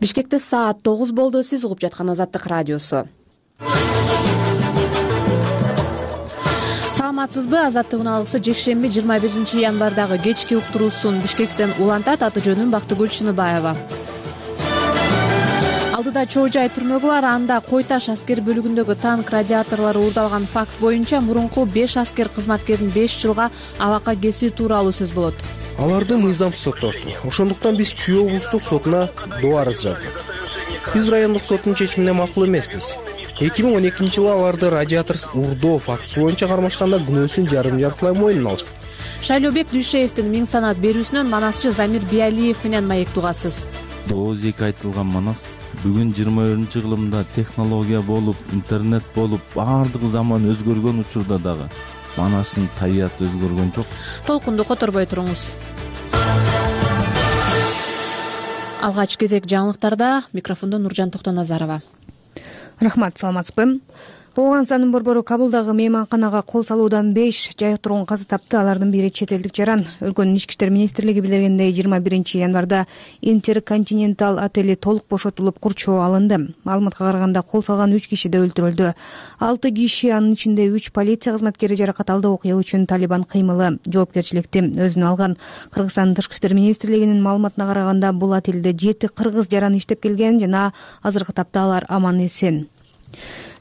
Бишкекте саат 9 болду. Сиз угуп жаткан Азаттык радиосу. Саламатсызбы? Азаттыктын алгысы жекшемби 21 январдагы кечки уктуруусун Бишкектен улантат. Аты жөнүм Бактыгүл Чыныбаева. Алдыда чоо жай түрмөгү бар. Анда Кой Таш аскер бөлүгүндөгү танк радиаторлору уурдалган факт боюнча мурунку 5 аскер кызматкердин 5 жылга абакка кесүү тууралуу сөз болот. Аларды мыйзамсыз соттошту. Ошондуктан биз Чүй облустук сотуна доо арыз жаздык. Биз райондук соттун чечимине макул эмеспиз. 2012-жылы аларды радиатор уурдоо фактысы боюнча кармашканда күнөөсүн жарым-жартылай мойнуна алышкан. Шайлообек Дүйшеевдин миң санат берүүсүнөн манасчы Замир Биалиев менен маектик угасыз. Ооз эки айтылган манас бүгүн 21-кылымда технология болуп, интернет болуп, баардык заман өзгөргөн учурда дагы манаштын табияты өзгөргөн жок. Толкунду которбой туруңуз. Алгач кезек жаңылыктарда. Микрофондо Нуржан Токтоназарова. Рахмат, саламатсызбы? Ооганстандын борбору Кабылдагы мейманканага кол салуудан 5 жайык тургун каза тапты. Алардын бири чет элдик жаран. Өлкөнүн ички иштер министрлиги билдиргендей 21 январда Интерконтинентал отели толук бошотулуп курчоо алынды. Маалыматка караганда кол салган 3 киши да өлтүрүлдү. 6 киши, анын ичинде 3 полиция кызматкери жаракат алды. Окуя үчүн Талибан кыймылы жоопкерчиликти өзүнө алган. Кыргызстандын тышкы иштер министрлигинин маалыматына караганда бул отелде 7 кыргыз жаран иштеп келген жана азыркы тапта алар аман эсен.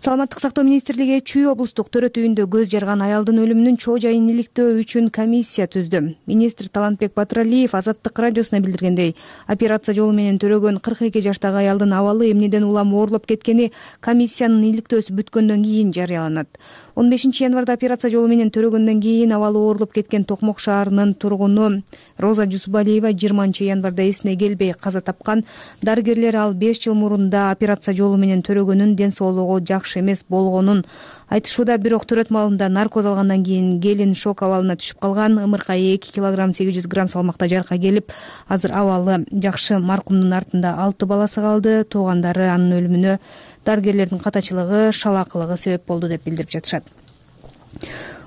Саламаттык сактоо министрлиги Чүй облустук төрөт үйүндө көз жарган аялдын өлүмүнүн чоо жайын иликтөө үчүн комиссия түздү. Министр Талантбек Батыралиев Азаттык радиосуна билдиргендей, операция жолу менен төрөгөн 42 жаштагы аялдын абалы эмнеден улам оорлоп кеткени комиссиянын иликтөөсү бүткөндөн кийин жарыяланат. 15 январда операция жолу менен төрөгөндөн кийин абалы оорлоп кеткен Токмок шаарынын тургуну Роза Жусубалиева 20 январда эсине келбей каза тапкан. Дарыгерлер ал 5 жыл мурун да операция жолу менен төрөгөнүн, ден соолугу жакшы эмес болгонун айтышууда. Бирок төрөт маалында наркоз алгандан кийин келин шок абалына түшүп калган. Ымыркай 2 кг 800 грамм салмакта жарка келип, азыр абалы жакшы. Маркумдун артында 6 баласы калды. Туугандары анын өлүмүнө дарыгерлердин катачылыгы, шалаакылыгы себеп болду деп билдирип жатышат.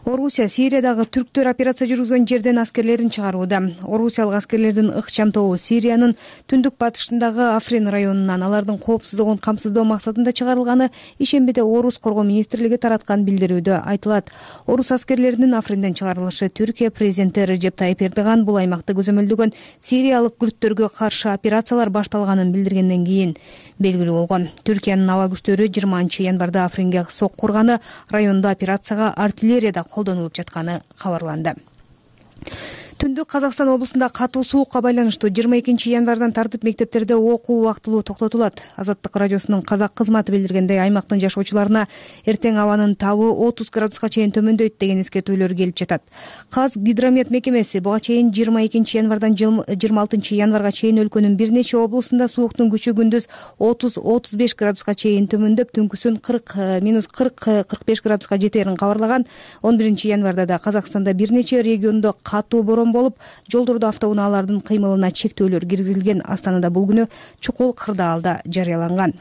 Орусия Сириядагы түрктөр операция жүргүзгөн жерден аскерлерин чыгарууда. Орусиялык аскерлердин ыкчам тобу Сириянын түндүк батышындагы Африн районунан алардын коопсуздугун камсыздоо максатында чыгарылганы ишембиде Орус коргоо министрлиги тараткан билдирүүдө айтылат. Орус аскерлеринин Афринден чыгарылышы Түркия президенти Режеп Тайип Эрдоган бул аймакты көзөмөлдөгөн сириялык күрттөргө каршы операциялар башталганын билдиргенден кийин белгилүү болгон. Түркиянын аба күчтөрү 20 январда Афринге сок курганы, райондо операцияга артиллерияда колдонулуп жатканы кабарланды. Түндүк Казакстан облусунда катуу суукка байланыштуу 22 январдан тартып мектептерде окуу убактылуу токтотулат. Азаттык радиосунун казак кызматы билдиргендей, аймактын жашоочуларына эртең абанын табы 30 градуска чейин төмөндөйт деген эскертүүлөр келип жатат. Казгидромет мекемеси буга чейин 22 январдан 26 январга чейин өлкөнүн бир нече облусунда сууктун күчү күндүз 30-35 градуска чейин төмөндөп, түнкүсүн 40-45 градуска жетерин кабарлаган. 11 январда да Казакстанда бир нече региондо катуу борон болуп, жолдордо автоунаалардын кыймылына чектөөлөр киргизилген. Астанада бул күнү чукул кырдаалда жарыяланган.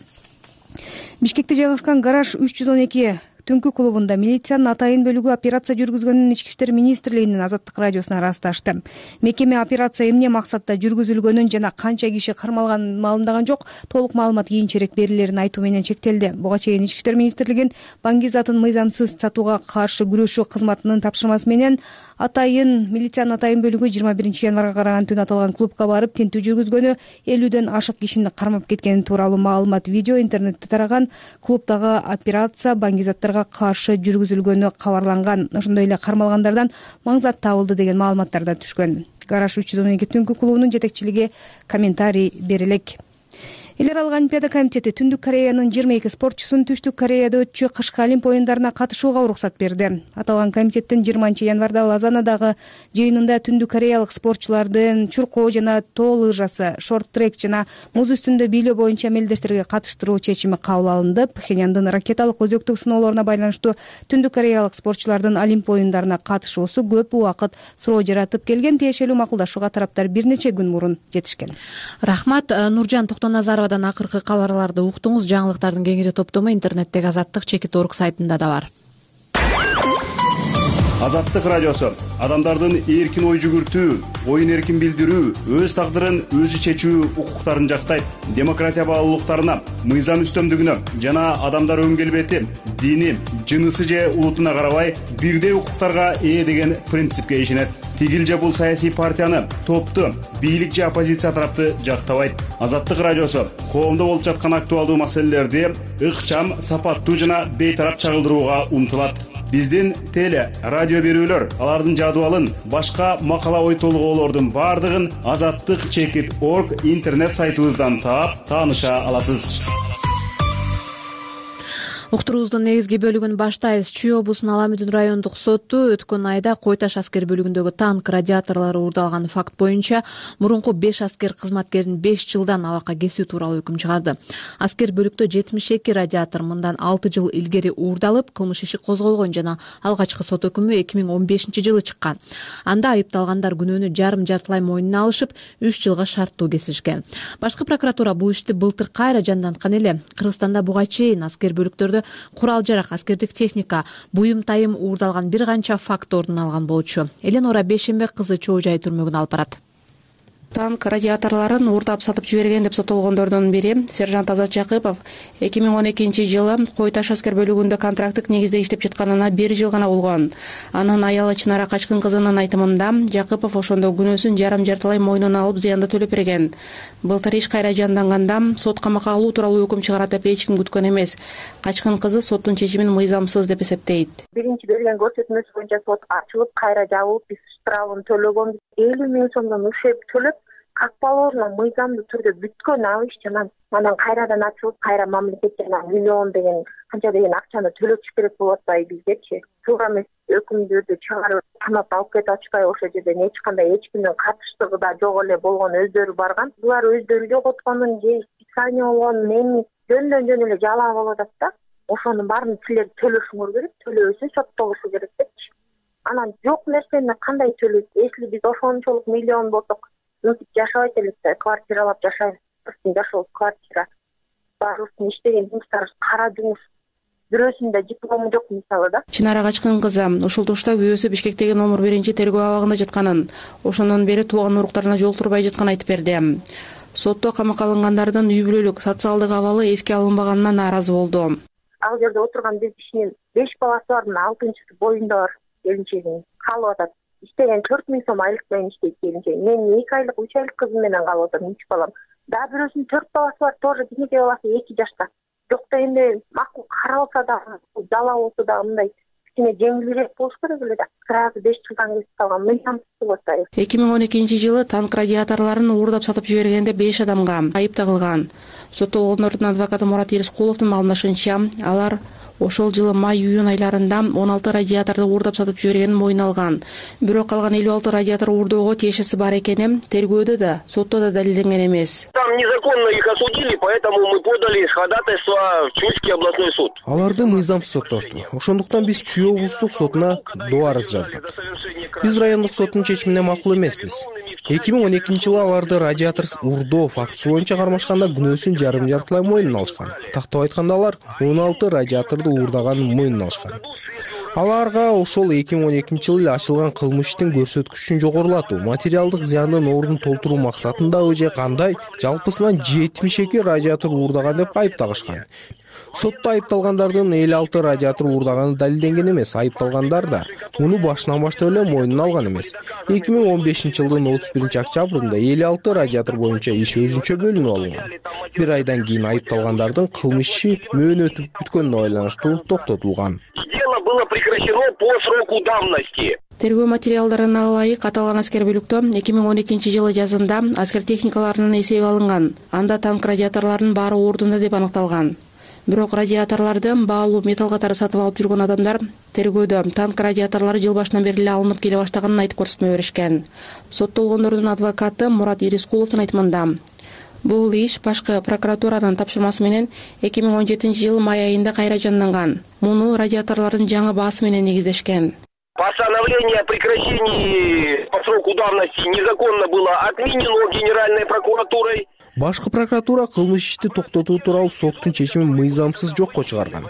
Бишкекте жайгашкан Гараж 312 түнкү клубунда милициянын атайын бөлүгү операция жүргүзгөнүн ички иштер министрлигинин Азаттык радиосуна ырасташты. Мекеме операция эмне максатта жүргүзүлгөнүн жана канча киши кармалганын маалымдаган жок. Толук маалымат кийинчерээк берилерин айтуу менен чектелди. Буга чейин ички иштер министрлигин баңгизатын мыйзамсыз сатууга каршы күрөшүү кызматынын тапшырмасы менен милициянын атайын бөлүгү 21 январга караган түн аталган клубка барып тинтүү жүргүзгөнү, 50ден ашык кишини кармап кеткени тууралуу маалымат видео интернетте тараган. Клубдагы операция баңгизаттарга каршы жүргүзүлгөнү кабарланган. Ошондой эле кармалгандардан маңзат табылды деген маалыматтар да түшкөн. Гараж 312 түнкү клубунун жетекчилиги комментарий берелек. Эл аралык Олимпиада комитети Түндүк Кореянын 22 спортчусун Түштүк Кореяда өтчү кышкы Олимп оюндарына катышууга уруксат берди. Аталган комитеттин 20 январда Лозаннадагы жыйынында Түндүк Кореялык спортчулардын чуркоо жана тоо лыжасы, шорт-трек жана муз үстүндө бийлөө боюнча мелдештерге катыштыруу чечими кабыл алынды. Пхеньяндын ракеталык өзөктүк сыноолоруна байланыштуу Түндүк Кореялык спортчулардын Олимп оюндарына катышуусу көп убакыт суроо жаратып келген. Тиешелүү макулдашууга тараптар бир нече күн мурун жетишкен. Рахмат. Нуржан Токтоназарова акыркы кабарларды уктуңуз. Жаңылыктардын кеңири топтому интернеттеги Азаттык чекит.org сайтында да бар. Азаттык радиосу адамдардын эркин ой жүгүртүү, оюн эркин билдирүү, өз тагдырын өзү чечүү укуктарын жактайт. Демократия баалуулуктарына, мыйзам үстөмдүгүнө жана адамдар өн келбети, дини, жынысы же улутуна карабай бирдей укуктарга ээ деген принципке ишенет. Тигил же бул саясий партияны, топту, бийлик же оппозиция тарапты жактабайт. Азаттык радиосу коомдо болуп жаткан актуалдуу маселелерди ыкчам, сапаттуу жана бейтарап чагылдырууга умтулат. Биздин теле, радио берүүлөр, алардын жадыбалын, башка макала ой толгоолордун бардыгын azattik.org интернет сайтыбыздан таап, тааныша аласыз. Уктуруубуздун негизги бөлүгүн баштайбыз. Чүй облусунун Ала Мүдүн райондук соту өткөн айда Кой Таш аскер бөлүгүндөгү танк радиаторлору уурдалган факт боюнча мурунку 5 аскер кызматкердин 5 жылдан абакка кесүү тууралуу өкүм чыгарды. Аскер бөлүктө 72 радиатор мындан 6 жыл илгери уурдалып, кылмыш иши козголгон жана алгачкы сот өкүмү 2015-жылы чыккан. Анда айыпталгандар күнөөнү жарым-жартылай мойнуна алышып, 3 жылга шарттуу кесишкен. Башкы прокуратура бул ишти былтыр кайра жанданткан эле. Кыргызстанда буга чейин аскер бөлүктөрдө курал-жарак, аскердик техника, буюм-тайым уурдалган бир канча факт ордун алган болчу. Эленора Бейшембек кызы Чоо Жай түрмөгүнө алып барат. Танк радиаторлорун уурдап сатып жиберген деп соттолгондордун бири сержант Азат Жакыпов 2012-жылы Кой Таш аскер бөлүгүндө контракттык негизде иштеп жатканына 1 жыл гана болгон. Анын аялы Чынара Качкын кызынын айтымында Жакыпов ошондо күнөөсүн жарым-жартылай мойнуна алып зыянды төлөп берген. Былтыр иш кайра жанданганда сот камакка алуу тууралуу өкүм чыгарат деп эч ким күткөн эмес. Качкын кызы соттун чечимин мыйзамсыз деп эсептейт. Биринчи берген көрсөтмөсү боюнча сот ачылып, кайра жабылып, биз штрафын төлөгөнбүз. 50 миң сомдон ушеп төлөп, как положено мыйзамдуу түрдө бүткөн ал иш жана анан кайрадан ачылып, кайра мамлекет жана миллион деген канча деген акчаны төлөтүш керек болуп атпайбы бизгечи. Туура эмес өкүмдөрдү чыгарып, камап алып кетип атышпайбы? Ошол жерден эч кимдин катыштыгы да жок эле болгон, өздөрү барган. Булар өздөрү жоготконун же специально болгонун эми жөндөн эле жалаа болуп атат да. Ошонун баарын силер төлөшүңөр керек, төлөбөсө соттолушу керек депчи. Анан жок нерсени кандай төлөйт? Если биз ошончолук миллион болсок, мынтип жашабайт элек да, квартиралап жашайбыз. Жашоо квартира. Баарыбыздын иштеген жумуштарыбыз кара жумуш. Бирөөсүндө диплому жок мисалы да. Чынара Качкын кызы ушул тушта күйөөсү Бишкектеги номер 1 тергөө абагында жатканын, ошондон бери тууган уруктарына жолтурбай жатканын айтып берди. Сотто камакка алынгандардын үй бүлөлүк, социалдык абалы эске алынбаганына нааразы болду. Ал жерде отурган биз кишинин 5 баласы бар, 6-чысы боюнда бар келинчегин калып атат. Иштеген 4 миң сом айлык менен иштейт келинчеги. Мен 2 айлык, 3 айлык кызым менен калып атам, 3 балам. Да бирөөсүнүн 4 баласы бар, тоже кичинекей баласы 2 жашта. Жокто энди макул каралса да, жала болсо да мындай кичине жеңилирээк болуш керек эле да. Сразу 5 жылдан кесип калган мыйзамсыз болот. 2012-жылы танк радиаторлорун уурдап сатып жибергенде 5 адамга айып тагылган. Соттолгондордун адвокаты Мурат Ирискуловдун маалымдашынча, алар ошол жылы май-июнь айларында 16 радиаторду уурдап сатып жибергенин мойнуна алган. Бирок калган 56 радиатор уурдоого тиешеси бар экени тергөөдө да, сотто да далилденген эмес. Там незаконно их осудили, поэтому мы подали ходатайство в Чуйский областной суд. Аларды мыйзамсыз соттошту. Ошондуктан биз Чүй облустук сотуна доо арыз жаздык. Биз райондук соттун чечимине макул эмеспиз. 2012-жылы аларды радиаторсыз уурдоо фактысы боюнча кармашканда күнөөсүн жарым-жартылай мойнуна алышкан. Тактап айтканда алар 16 радиаторду уурдаганын мойнуна алышкан. Аларга ошол 2012-жылы эле ачылган кылмыш иштин көрсөткүчүн жогорулатуу, материалдык зыяндын ордун толтуруу максатындабы же кандай жалпысынан 72 радиатор уурдаган деп айып тагышкан. Сотто айыпталгандардын 56 радиатор уурдаганы далилденген эмес. Айыпталгандар да муну башынан баштап эле мойнуна алган эмес. 2015-жылдын 31-октябрында 56 радиатор боюнча иш өзүнчө бөлүнүп алынган. Бир айдан кийин айыпталгандардын кылмыш иши мөөнөтү бүткөнүнө байланыштуу токтотулган. Дело было прекращено по сроку давности. Тергөө материалдарына ылайык аталган аскер бөлүктө 2012-жылы жазында аскер техникаларынын эсеби алынган. Анда танк радиаторлорунун баары ордунда деп аныкталган. Бирок радиаторлорду баалуу металл катары сатып алып жүргөн адамдар тергөөдө танк радиаторлору жыл башынан бери эле алынып келе баштаганын айтып көрсөтмө беришкен. Соттолгондордун адвокаты Мурат Ирискуловдун айтымында, бул иш башкы прокуратуранын тапшырмасы менен 2017-жылы май айында кайра жанданган. Муну радиаторлордун жаңы баасы менен негиздешкен. Постановление о прекращении по сроку давности незаконно было отменено Генеральной прокуратурой. Башкы прокуратура кылмыш ишти токтотуу тууралуу соттун чечимин мыйзамсыз жокко чыгарган.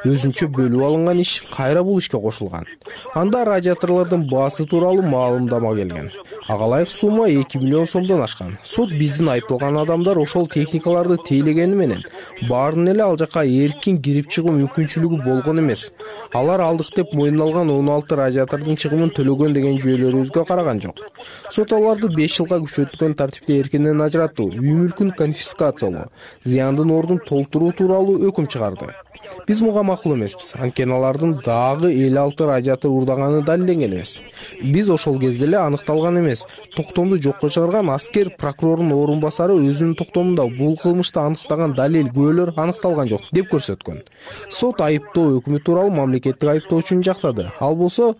Өзүнчө бөлүп алынган иш кайра бул ишке кошулган. Анда радиаторлордун баасы тууралуу маалымдама келген. Ага ылайык сумма 2 миллион сомдон ашкан. Сот биздин айыпталган адамдар ошол техникаларды тейлегени менен баарын эле ал жака эркин кирип чыгуу мүмкүнчүлүгү болгон эмес. Алар алдык деп мойнуна алган 16 радиатордун чыгымын төлөгөн деген жүйөлөрүбүзгө караган жок. Сот аларды 5 жылга күчөтүлгөн тартипте эркинден ажыраттуу, үй мүлкүн конфискациялоо, зыяндын ордун толтуруу тууралуу өкүм чыгарды. Биз муга макул эмеспиз. Анткени алардын дагы 56 радиатор уурдаганы далилденген эмес. Биз ошол кезде эле аныкталган эмес. Токтомду жокко чыгарган аскер прокурордун орун басары өзүнүн токтомунда бул кылмышты аныктаган далил, күбөлөр аныкталган жок деп көрсөткөн. Сот айыптоо өкүмү тууралуу мамлекеттик айыптоочуну жактады. Ал болсо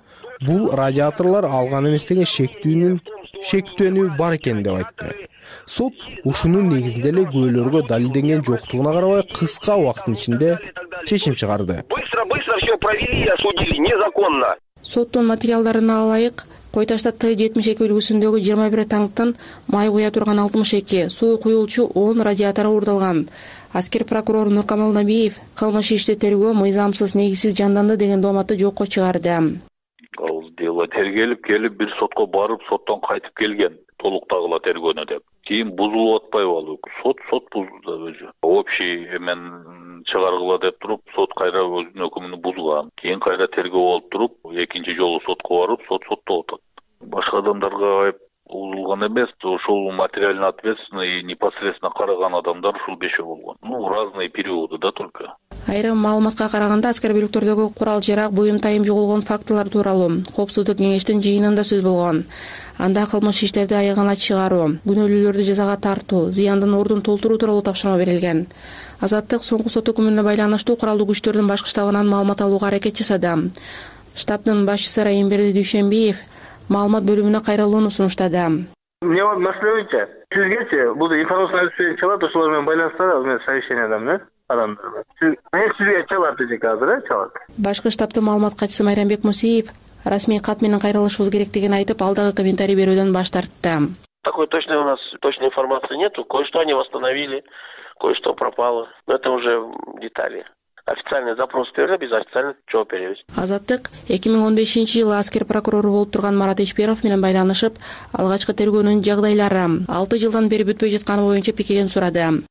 бул радиаторлор алган эмес деген шектүүнү бар экен деп айтты. Сот ушунун негизинде эле күбөлөргө далилденген жоктугуна карабай кыска убакыттын ичинде чечим чыгарды. Быстро все провели и осудили незаконно. Соттун материалдарына ылайык Кой Таштта Т-72 үлгүсүндөгү 21 танктын май куя турган 62, суу куюлчу 10 радиатору уурдалган. Аскер прокурор Нуркамал Набиев кылмыш ишти тергөө мыйзамсыз, негизсиз жанданды деген дооматты жокко чыгарды. Ал дело тергелип келип бир сотко барып, соттон кайтып келген. Толуктагыла тергөөнү деп. Кийин бузулуп атпайбы ал өкүм? Сот бузду өзү. Общий эмен чыгаргыла деп туруп, сот кайра өзүнүн өкүмүн бузган. Кийин кайра тергөө болуп туруп, экинчи жолу сотко барып, сот соттоп атат. Башка адамдарга айып узулган эмес, ошол материально ответственный непосредственно караган адамдар ушул 5 болгон. Разные периоды да только. Айрым маалыматка караганда аскер бөлүктөрдөгү курал-жарак, буюм тайым жоголгон фактылар тууралуу Коопсуздук кеңештин жыйынында сөз болгон. Анда кылмыш иштерди аягына чыгаруу, күнөөлүүлөрдү жазага тартуу, зыяндын ордун толтуруу тууралуу тапшырма берилген. Азаттык соңку сот өкүмүнө байланыштуу куралдуу күчтөрдүн башкы штабынан маалымат алууга аракет жасады. Штабдын башчысы Райымберди Дүйшөнбиев маалымат бөлүмүнө кайрылууну сунуштады. Эмне бар маселе боюнча? Сизгечи бул информация алып чалат, ошолор менен байланыштырабыз мен совещаниядамын, адамдар. Сизге чалат эжек азыр, чалат. Башкы штабтын маалымат катчысы Майрамбек Мусиев расмий кат менен кайрылышыбыз керектигин айтып, алдагы комментарий берүүдөн баш тартты. Такой точной у нас точной информации нету. Кое-что они восстановили, кое-что пропало. Но это уже детали. Официальный запрос берип, биз официально жооп беребиз. Азаттык 2015-жылы аскер прокурору болуп турган Марат Ишперов менен байланышып, алгачкы тергөөнүн жагдайлары 6 жылдан бери бүтпөй жатканы боюнча пикирин сурады.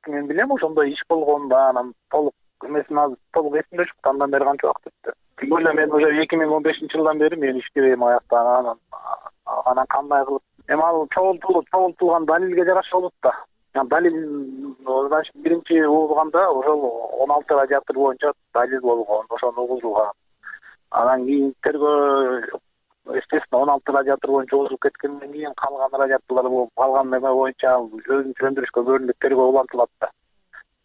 Мен билем, ошондой иш болгон да, анан толук эмесин азыр толук эсимде жок, андан бери канча убакыт өттү. Тим более мен уже 2015-жылдан бери мен иштебейм аяктан, анан кандай кылып эми ал чогултулган далилге жараша болот да. Далил значит биринчи угулганда ошол 16 радиатор боюнча далил болгон, ошону угулган. Анан кийин тергөө естественно 16 радиатор боюнча угулуп кеткенден кийин калган радиаторлор болуп калган эме боюнча өзүн сөндүрүшкө көрүнүп тергөө улантылат да.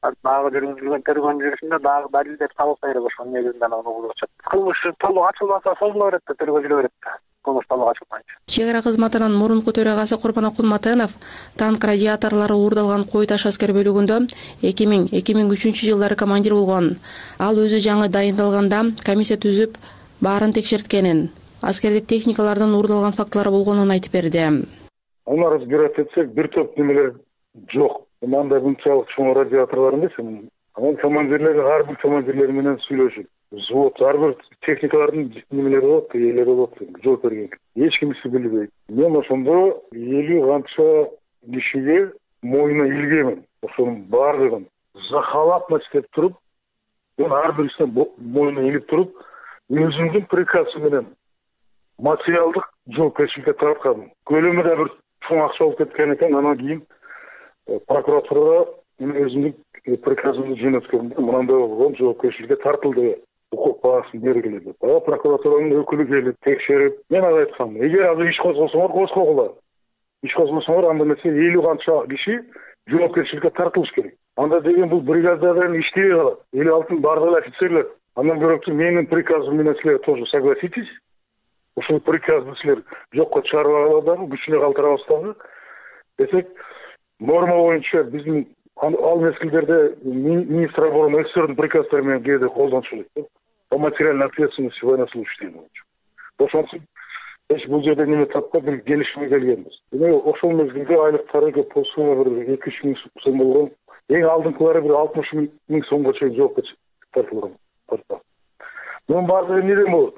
Дагы жүргүзүлгөн тергөөнүн жүрүшүндө дагы далилдер табылса керек, ошонун негизинде аны угулуп чыкты. Кылмыш толук ачылбаса созула берет да, тергөө жүрө берет да. Чек ара кызматынын мурунку төрагасы Курбан Акунматынов танк радиаторлору уурдалган Кой Таш аскер бөлүгүндө 2000-2003 жылдары командир болгон. Ал өзү жаңы дайындалганда комиссия түзүп, баарын текшерткенин, аскердик техникалардын уурдалган фактылары болгонун айтып берди. Аны разбирать этсек, бир топ немелер жок. Мындай мынчалык чоң радиаторлор эмес. Анан командирлер ар бир командирлер менен сүйлөшүп, взвод ар бир техникалардын немелери болот, ээлери болот, жооп берген. Эч кимиси билбейт. Мен ошондо 50 канча кишиге мойнуна илгемин. Ошонун баардыгын захалатно иштеп туруп, мен ар бирисине мойнуна илип туруп, өзүмдүн приказы менен материалдык жоопкерчиликке тарткам. Көлөмү да бир чоң акча болуп кеткен экен. Анан кийин прокуратурага мен өзүмдүн приказымды жөнөткөм. Мынандай болгон, жоопкерчиликке тартылды. Укук баасын бергиле деп. Прокуратуранын өкүлү келип текшерип, мен ага айткам, эгер азыр иш козгосоңор, козгогула. Иш козгосоңор, анда эмесе 50 канча киши жоопкерчиликке тартылыш керек. Анда деген бул бригадалар иштебей калат. 56-ын бардыгы офицерлер. Андан көрөктү менин приказым менен силер тоже согласитесь. Ушул приказды силер жокко чыгарып алабы, күчүнө калтырабызбы десек, норма боюнча биздин ал мезгилдерде министр обороны СССРдин приказдары менен кээде колдончу элек. По материальной ответственности военнослужащих боюнча. Ошондуктан бул жерде неме тапкан бир келишимге келгенбиз. Ошол мезгилде айлыктары көп болсо бир 2-3 миң сом болгон. Эң алдыңкылары бир 60 миң сомго чейин жоопко тартылган. Мунун баардыгы неден болот?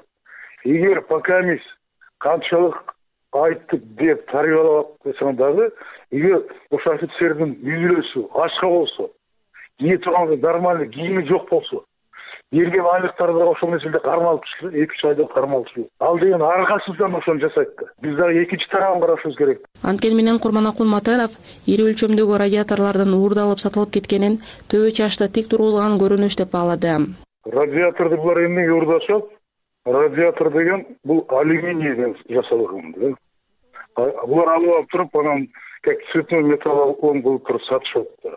Эгер пока эмес канчалык айттык деп тарыялап койсоң дагы, эгер ошо офицердин үйүлөсү ачка болсо, кие турган нормальный кийими жок болсо, берген айлыктары да ошол мезгилде кармалып түшкөн, 2-3 айда кармалып түшкөн. Ал деген аркасыздан ошону жасайт да. Биз дагы экинчи тарабын карашыбыз керек. Анткени менен Курманакул Матенов ири өлчөмдөгү радиаторлордун уурдалып сатылып кеткенин төбө чашта тик тургузулган көрүнүш деп баалады. Радиаторду булар эмнеге уурдашат? Радиатор деген бул алюминийден жасалган да. Булар алып туруп, анан как цветной металл кылып туруп сатышат да.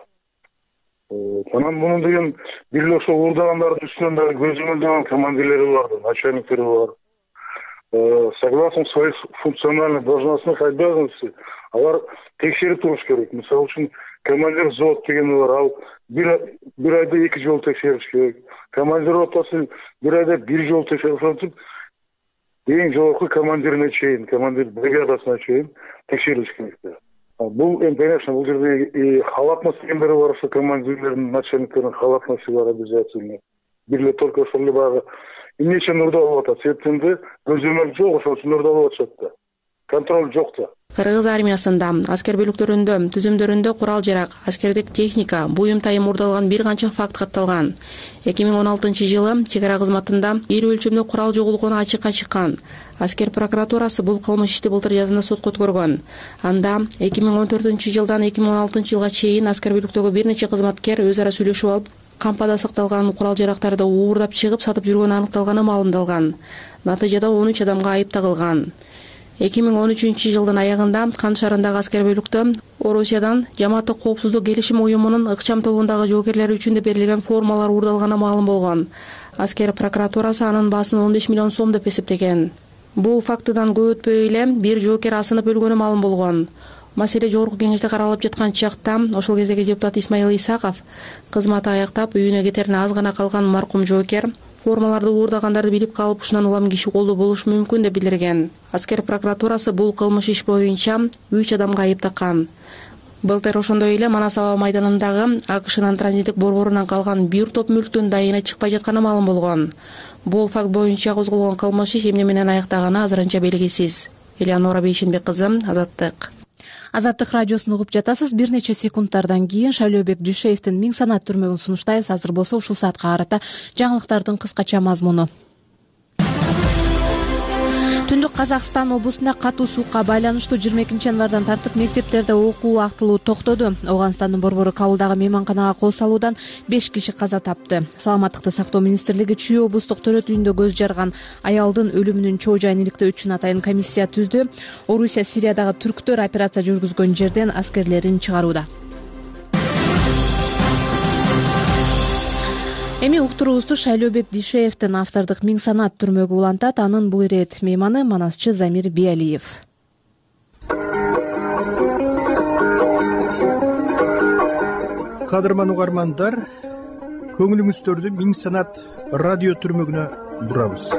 Анан мунун деген бир ошо уурдагандардын үстүнөн дагы көзөмөлдөгөн командирлери бар, начальниктери бар. Согласно своих функциональных должностных обязанностей, алар текшерип туруш керек. Мисалы үчүн командир взвод деген бар, ал бир айда 2 жолу текшериш керек. Командир ротасы бир айда 1 жолу текшериш. Эң жогорку командирине чейин, командир бригадасына чейин текшерилиш керек. Бул конечно, бул жерде халатность дегендер бар, ошо командирлердин, начальниктердин халатности бар обязательно. Бирле только ошол эле баягы эмне үчүн уурдалып атат? Себептенде көзөмөл жок, ошол үчүн уурдалып атышат да. Контроль жок да. Кыргыз армиясында, аскер бөлүктөрүндө, түзүмдөрүндө курал-жарак, аскердик техника, буюм тайым уурдалган бир канча факт катталган. 2016-жылы чек ара кызматында ири өлчөмдө курал жоголгону ачыкка чыккан. Аскер прокуратурасы бул кылмыш ишти былтыр жазында сотко өткөргөн. Анда 2014-жылдан 2016-жылга чейин аскер бөлүктөгү бир нече кызматкер өз ара сүйлөшүп алып, кампада сакталган курал-жарактарды уурдап чыгып сатып жүргөнү аныкталганы маалымдалган. Натыйжада 13 адамга айып тагылган. 2013-жылдын аягында Кан шаарындагы аскер бөлүктө Орусиядан Жамааттык коопсуздук келишим уюмунун ыкчам тобундагы жоокерлери үчүн деп берилген формалар уурдалганы маалым болгон. Аскер прокуратурасы анын баасын 15 миллион сом деп эсептеген. Бул фактыдан көп өтпөй эле бир жоокер асынып өлгөнү маалым болгон. Маселе жогорку кеңеште каралып жаткан чакта ошол кездеги депутат Исмаил Исаков кызматы аяктап үйүнө кетерине аз гана калган маркум жоокер формаларды уурдагандарды билип калып, ушунан улам киши колдуу болушу мүмкүн деп билдирген. Аскер прокуратурасы бул кылмыш иш боюнча 3 адамга айып таккан. Былтыр ошондой эле Манас аба майданындагы АКШнын транзиттик борборунан калган бир топ мүлктүн дайына чыкпай жатканы маалым болгон. Бул факт боюнча козголгон кылмыш иш эмне менен аяктаганы азырынча белгисиз. Элеонора Бейшенбек кызы, Азаттык. Азаттык радиосун угуп жатасыз. Бир нече секундтардан кийин Шайлообек Дүйшеевдин 1000 санат түрмөгүн сунуштайбыз. Азыр болсо ушул саатка карата жаңылыктардын кыскача мазмуну. Түндүк Казакстан облусунда катуу суукка байланыштуу 22 январдан тартып мектептерде окуу актылуу токтоду. Ооганстандын борбору Кабылдагы мейманканага кол салуудан 5 киши каза тапты. Саламаттыкты сактоо министрлиги Чүй облустук төрөт үйүндө көз жарган аялдын өлүмүнүн чоо жайын иликтөө үчүн атайын комиссия түздү. Орусия Сириядагы түрктөр операция жүргүзгөн жерден аскерлерин чыгарууда. Эми уктуруубузду Шайлообек Дүйшеевдин автордук 1000 санат түрмөгү улантат. Анын бул ирет мейманы манасчы Замир Биалиев. Кадырман угармандар, көңүлүңүздөрдү 1000 санат радио түрмөгүнө бурабыз.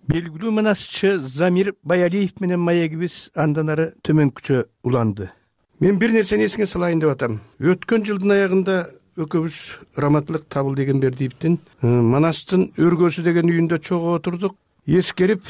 Белгилүү манасчы Замир Биалиев менен маегибиз андан ары төмөнкүчө уланды. Мен бир нерсени эсиңе салайын деп атам. Өткөн жылдын аягында экөөбүз Раматылык Табылдегенбердиевдин Манастын өргөсү деген үйүндө чогуу отурдук. Эскерип,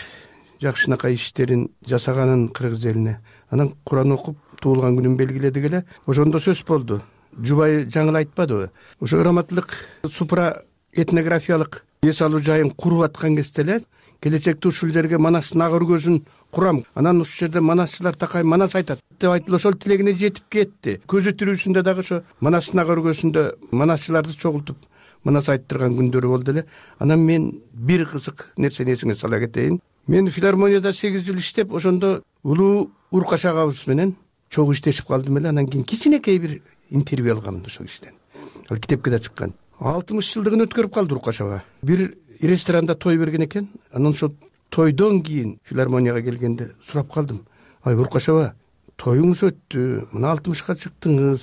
жакшынакай иштерин жасаганын кыргыз элине. Анан Куран окуп, туулган күнүн белгиледик эле. Ошондо сөз болду. Жубай жаңыл айтпадыбы? Ошо Раматылык супра этнографиялык эс алуу жайын куруп аткан кезде эле келечекте ушул жерге Манастын ак өргөсүн курам. Анан ушул жерде манасчылар такай Манас айтат деп айтылып, ошол тилегине жетип кетти. Көзү тирүүсүндө дагы ошо Манастын ак өргөсүндө манасчыларды чогултуп Манас айттырган күндөрү болду эле. Анан мен бир кызык нерсени эсиңе сала кетейин. Мен филармонияда 8 жыл иштеп, ошондо улуу Уркаш агабыз менен чогуу иштешип калдым эле. Анан кийин кичинекей бир интервью алгам ошол кишиден. Ал китепке да чыккан. 60 жылдыгын өткөрүп калды Уркаш аба. Бир ресторанда той берген экен. Анан ошо тойдон кийин филармонияга келгенде сурап калдым. Ай Уркаш аба, тоюңуз өттү, мына 60-ка чыктыңыз,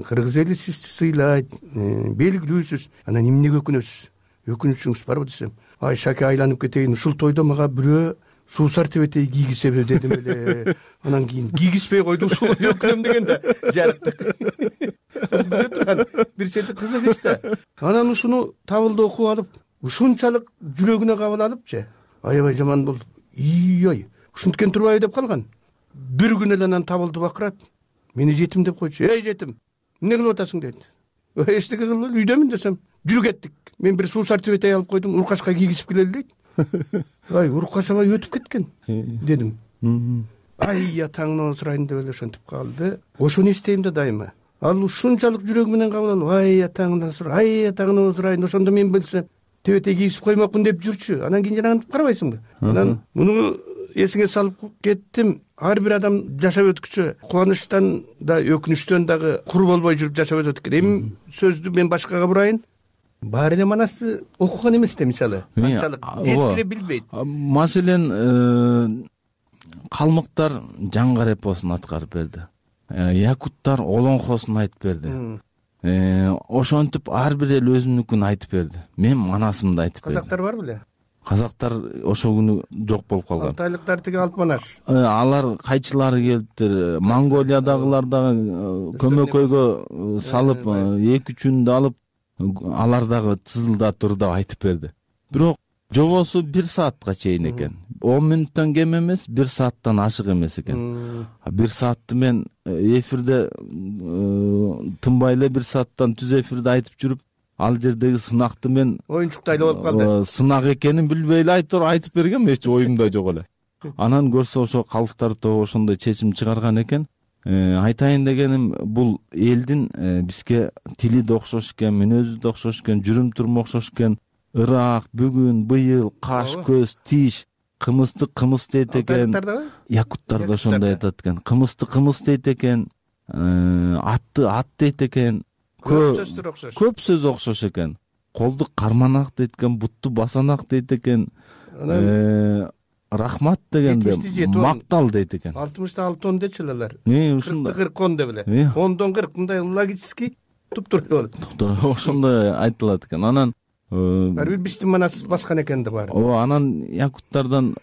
кыргыз эли сизди сыйлайт, белгилүүсүз, анан эмнеге өкүнөсүз? Өкүнүчүңүз барбы десем, ай шаке айланып кетейин, ушул тойдо мага бирөө суусар тебетей кийгизеби дедим эле. Анан кийин кийгизбей койду, ушул өкүнөм деген да жарыктык. Биле турган бир чети кызык иш да. Анан ушуну табылды окуп алып, ушунчалык жүрөгүнө кабыл алыпчы. Аябай жаман болду. Ой, ушинткен турбайбы деп калган. Бир күн эле анан табылды бакырат. Мени жетим деп койчу. Эй жетим, эмне кылып атасың дейт. Эчтеке кылбайм, үйдөмүн десем, жүрүп кеттик. Мен бир суусар тебетей алып койдум, уркашка кийгизип келели дейт. Ай, уркашабай өтүп кеткен дедим. Ай, атаңдан сурайын деп эле ошентип калды. Ошону эстейм да дайыма. Ал ушунчалык жүрөгү менен кабыл алып, ай, атаңдан сурайын, ошондо мен билсем тебетей кийгизип коймокмун деп жүрчү. Анан кийин жанагынтип карабайсыңбы? Анан муну эсиңе салып кеттим. Ар бир адам жашап өткүчө кубанычтан да өкүнүчтөн дагы кур болбой жүрүп жашап өтөт экен. Эми сөздү мен башкага бурайын. Баары эле манасты окуган эмес да, мисалы. Анчалык жеткире билбейт. Маселен, калмыктар жаңгар эпосун аткарып берди. Якуттар олоңхосун айтып берди. Ошентип ар бир эл өзүнүкүн айтып берди. Мен манасымды айтып бердим. Казактар бар беле? Казактар ошол күнү жок болуп калган. Алтайлыктар тиги алп манаш. Алар кайчылары келиптир. Монголиядагылар дагы көмөкөйгө салып, 2-3 алып, алар дагы тызылдатып ырдап айтып берди. Бирок жобосу 1 саатка чейин экен. 10 мүнөттөн кем эмес, 1 сааттан ашык эмес экен. 1 саатты мен эфирде тынбай эле 1 сааттан түз эфирде айтып жүрүп, ал жердеги сынакты мен оюнчукту айлап алып калды. Сынак экенин билбей эле айтып бергем, эч оюмда жок эле. Анан көрсө ошо калыстар тобу ошондой чечим чыгарган экен. Айтайын дегеним, бул элдин бизге тили да окшош экен, мүнөзү да окшош экен, жүрүм туруму окшош экен. Ырак, бүгүн, быйыл, каш, көз, тиш, кымызды кымыз дейт экен. Якуттар да ошондой айтат экен. Кымызды кымыз дейт экен. Атты ат дейт экен. Көп сөз окшош экен. Колду карманак дейт экен, бутту басанак дейт экен. Рахмат дегенде мактал дейт экен. 66 дечү алар. Ушундай 40 деп эле. 10дон 40 мындай логический туп-тура болот. Ошондой айтылат экен. Анан ар бир биздин манас баскан экен да баары. Анан якуттардан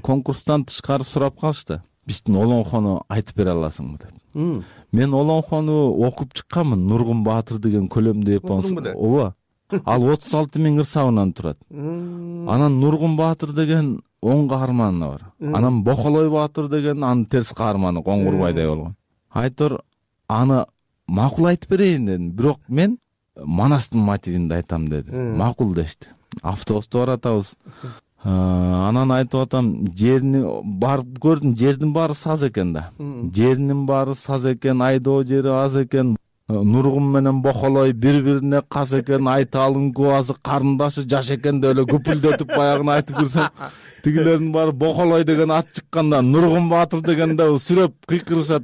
конкурстан тышкары сурап калышты. Биздин олоңхону айтып бере аласыңбы деп. Мен олоңхону окуп чыкканмын. Нургун Баатыр деген көлөмдүү эпос. Ооба. Ал 36 000 ырсабынан турат. Анан Нургун Баатыр деген оң каарманы бар. Анан Бохолой Баатыр деген анын терс каарманы, Коңгурбайдай болгон. Айтор аны макул айтып берейин дедим. Бирок мен манастын мотивинде айтам деди. Макул дешти. Автобуста баратабыз. Анан айтып атам, жерни барып көрдүм, жердин баары саз экен да. Жеринин баары саз экен, айдоо жери аз экен. Нургун менен Бохолой бири-бирине кас экен, Айталын кубасы карындашы жаш экен деп эле күпүлдөтүп баягыны айтып көрсөм, тигилердин баары Бохолой деген ат чыкканда Нургун Баатыр дегенде сүрөп кыйкырышат.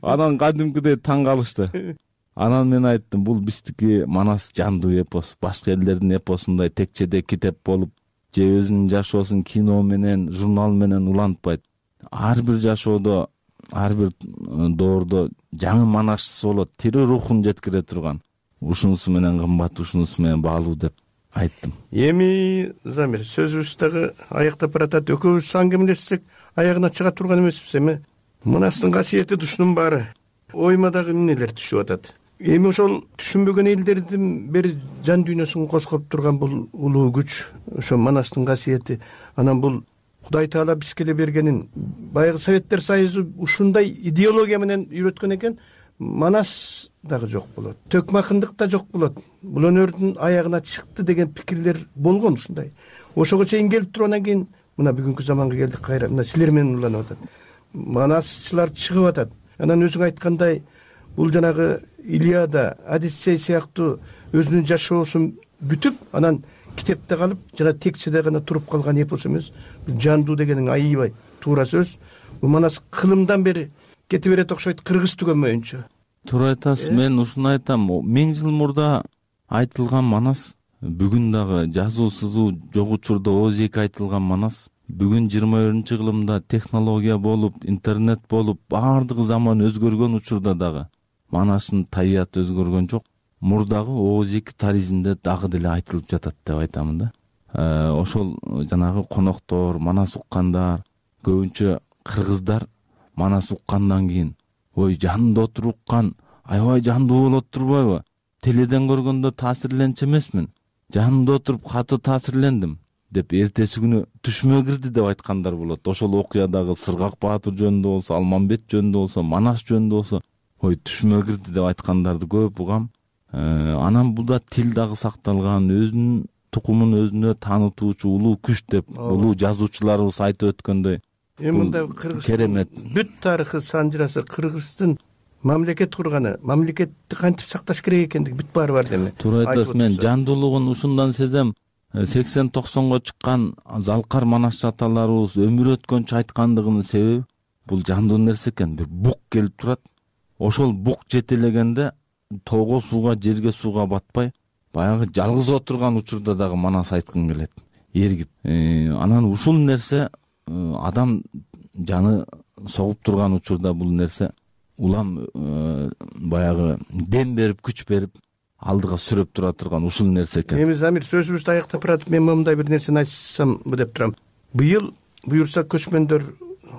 Анан кадимкидей таң калышты. Анан мен айттым, бул биздики манас жандуу эпос. Башка элдердин эпосундай текчеде китеп болуп, же өзүнүн жашоосун кино менен, журнал менен улантпайт. Ар бир жашоодо, ар бир доордо жаңы манашчысы болот, тирүү рухун жеткире турган. Ушунусу менен кымбат, ушунусу менен баалуу деп айттым. Эми Замир, сөзүбүз дагы аяктап баратат. Экөөбүз аңгемелешсек аягына чыга турган эмеспиз эми. Манастын касиети душунун баары. Ойма дагы эмнелер түшүп атат. Эми ошол түшүнбөгөн элдердин бир жан дүйнөсүн козгоп турган бул улуу күч, ошо манастын касиети. Анан бул Кудай Таала бизге эле бергенин. Баягы Советтер Союзу ушундай идеология менен үйрөткөн экен, манас дагы жок болот. Төкмакындык да жок болот. Бул өнөрдүн аягына чыкты деген пикирлер болгон ушундай. Ошого чейин келип туруп анан кийин мына бүгүнкү заманга келдик кайра. Мына силер менен уланып атат. Манасчылар чыгып атат. Анан өзүң айткандай, бул жанагы Илиада, Одиссей сыяктуу өзүнүн жашоосун бүтүп, анан китепте калып, жана текчеде гана туруп калган эпос эмес. Жандуу дегениң аябай туура сөз. Бул манас кылымдан бери кете берет окшойт, кыргыз түгөнмөйүнчө. Туура айтасыз. Мен ушуну айтам. 1000 жыл мурда айтылган манас, бүгүн дагы жазуу сызуу жок учурда ооз эки айтылган манас Бүгүн 21-кылымда технология болуп, интернет болуп, баардыгы заман өзгөргөн учурда дагы Манаштын табияты өзгөргөн жок. Мурдагы ооз-эки таризинде дагы деле айтылып жатат деп айтамын да. Ошол жанагы коноктор, Манас уккандар, көбүнчө кыргыздар Манас уккандан кийин, ой жанында отуруп уккан, аябай жандуу болот турбайбы? Теледен көргөндө таасирленчү эмесмин. Жанында отуруп каты таасирлендим деп эртеси күнү түшүмө кирди деп айткандар болот. Ошол окуядагы Сыргак Баатыр жөнүндө болсо, Алмамбет жөнүндө болсо, Манас жөнүндө болсо, ой түшүмө кирди деп айткандарды көп угам. Анан бул тил дагы сакталган, өзүнүн тукумун өзүнө таанытуучу улуу күч деп улуу жазуучуларыбыз айтып өткөндөй. Мында Кыргызстан бүт тарыхы санжырасы, Кыргыздын мамлекет курганы, мамлекетти кантип сакташ керек экендиги бүт баары бар деме. Туура айтасыз. Мен жандуулугун ушундан сезем. 80-90го чыккан Залкар Манашчы аталарыбыз өмүр өткөнчө айткандыгынын себеби бул жандуу нерсе экен. Бир бук келип турат. Ошол бук жетелегенде тоого сууга, жерге сууга батпай, баягы жалгыз отурган учурда дагы Манас айткың келет. Эргип. Анан ушул нерсе адам жаны согуп турган учурда бул нерсе улам баягы дем берип, күч берип, алдыга сүрөп тура турган ушул нерсе экен. Эми Замир сөзүбүздү аяктап баратып, мен мындай бир нерсени айтсам деп турам. Быйыл буюрса көчмөндөр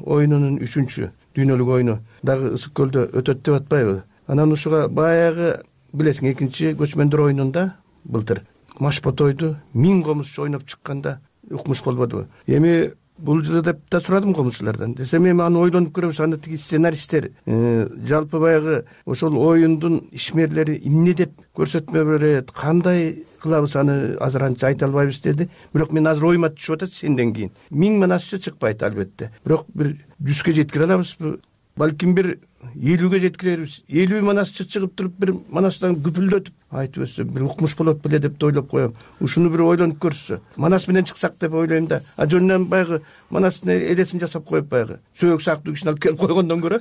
оюнунун 3-чү дүйнөлүк оюну дагы Ысык көлдө өтөт деп атпайбы? Анан ушуга баягы билесиң, 2-чи көчмөндөр оюнунда былтыр Машботойду 1000 комузчу ойноп чыкканда укмуш болбодубу? Эми бул жылы деп да сурадым комузчулардан. Десем эми аны ойлонуп көрөбүз, аны тиги сценаристтер жалпы баягы ошол оюндун ишмерлери эмне деп көрсөтмө берет, кандай кылабыз, аны азыр анча айта албайбыз деди. Бирок мен азыр оюма түшүп атат сенден кийин. 1000 манасчы чыкпайт албетте. Бирок бир 100ге жеткире алабызбы? Балким бир 50ге жеткирербиз. 50 манасчы чыгып туруп бир Манастан күпүлдөтүп айтып өтсө бир укмуш болот беле деп ойлоп коем. Ушуну бир ойлонуп көрсө, Манас менен чыксак деп ойлойм да. А жөнүнөн баягы Манастын элесин жасап коюп баягы сөөк сактуу кишини алып келип койгондон көрө,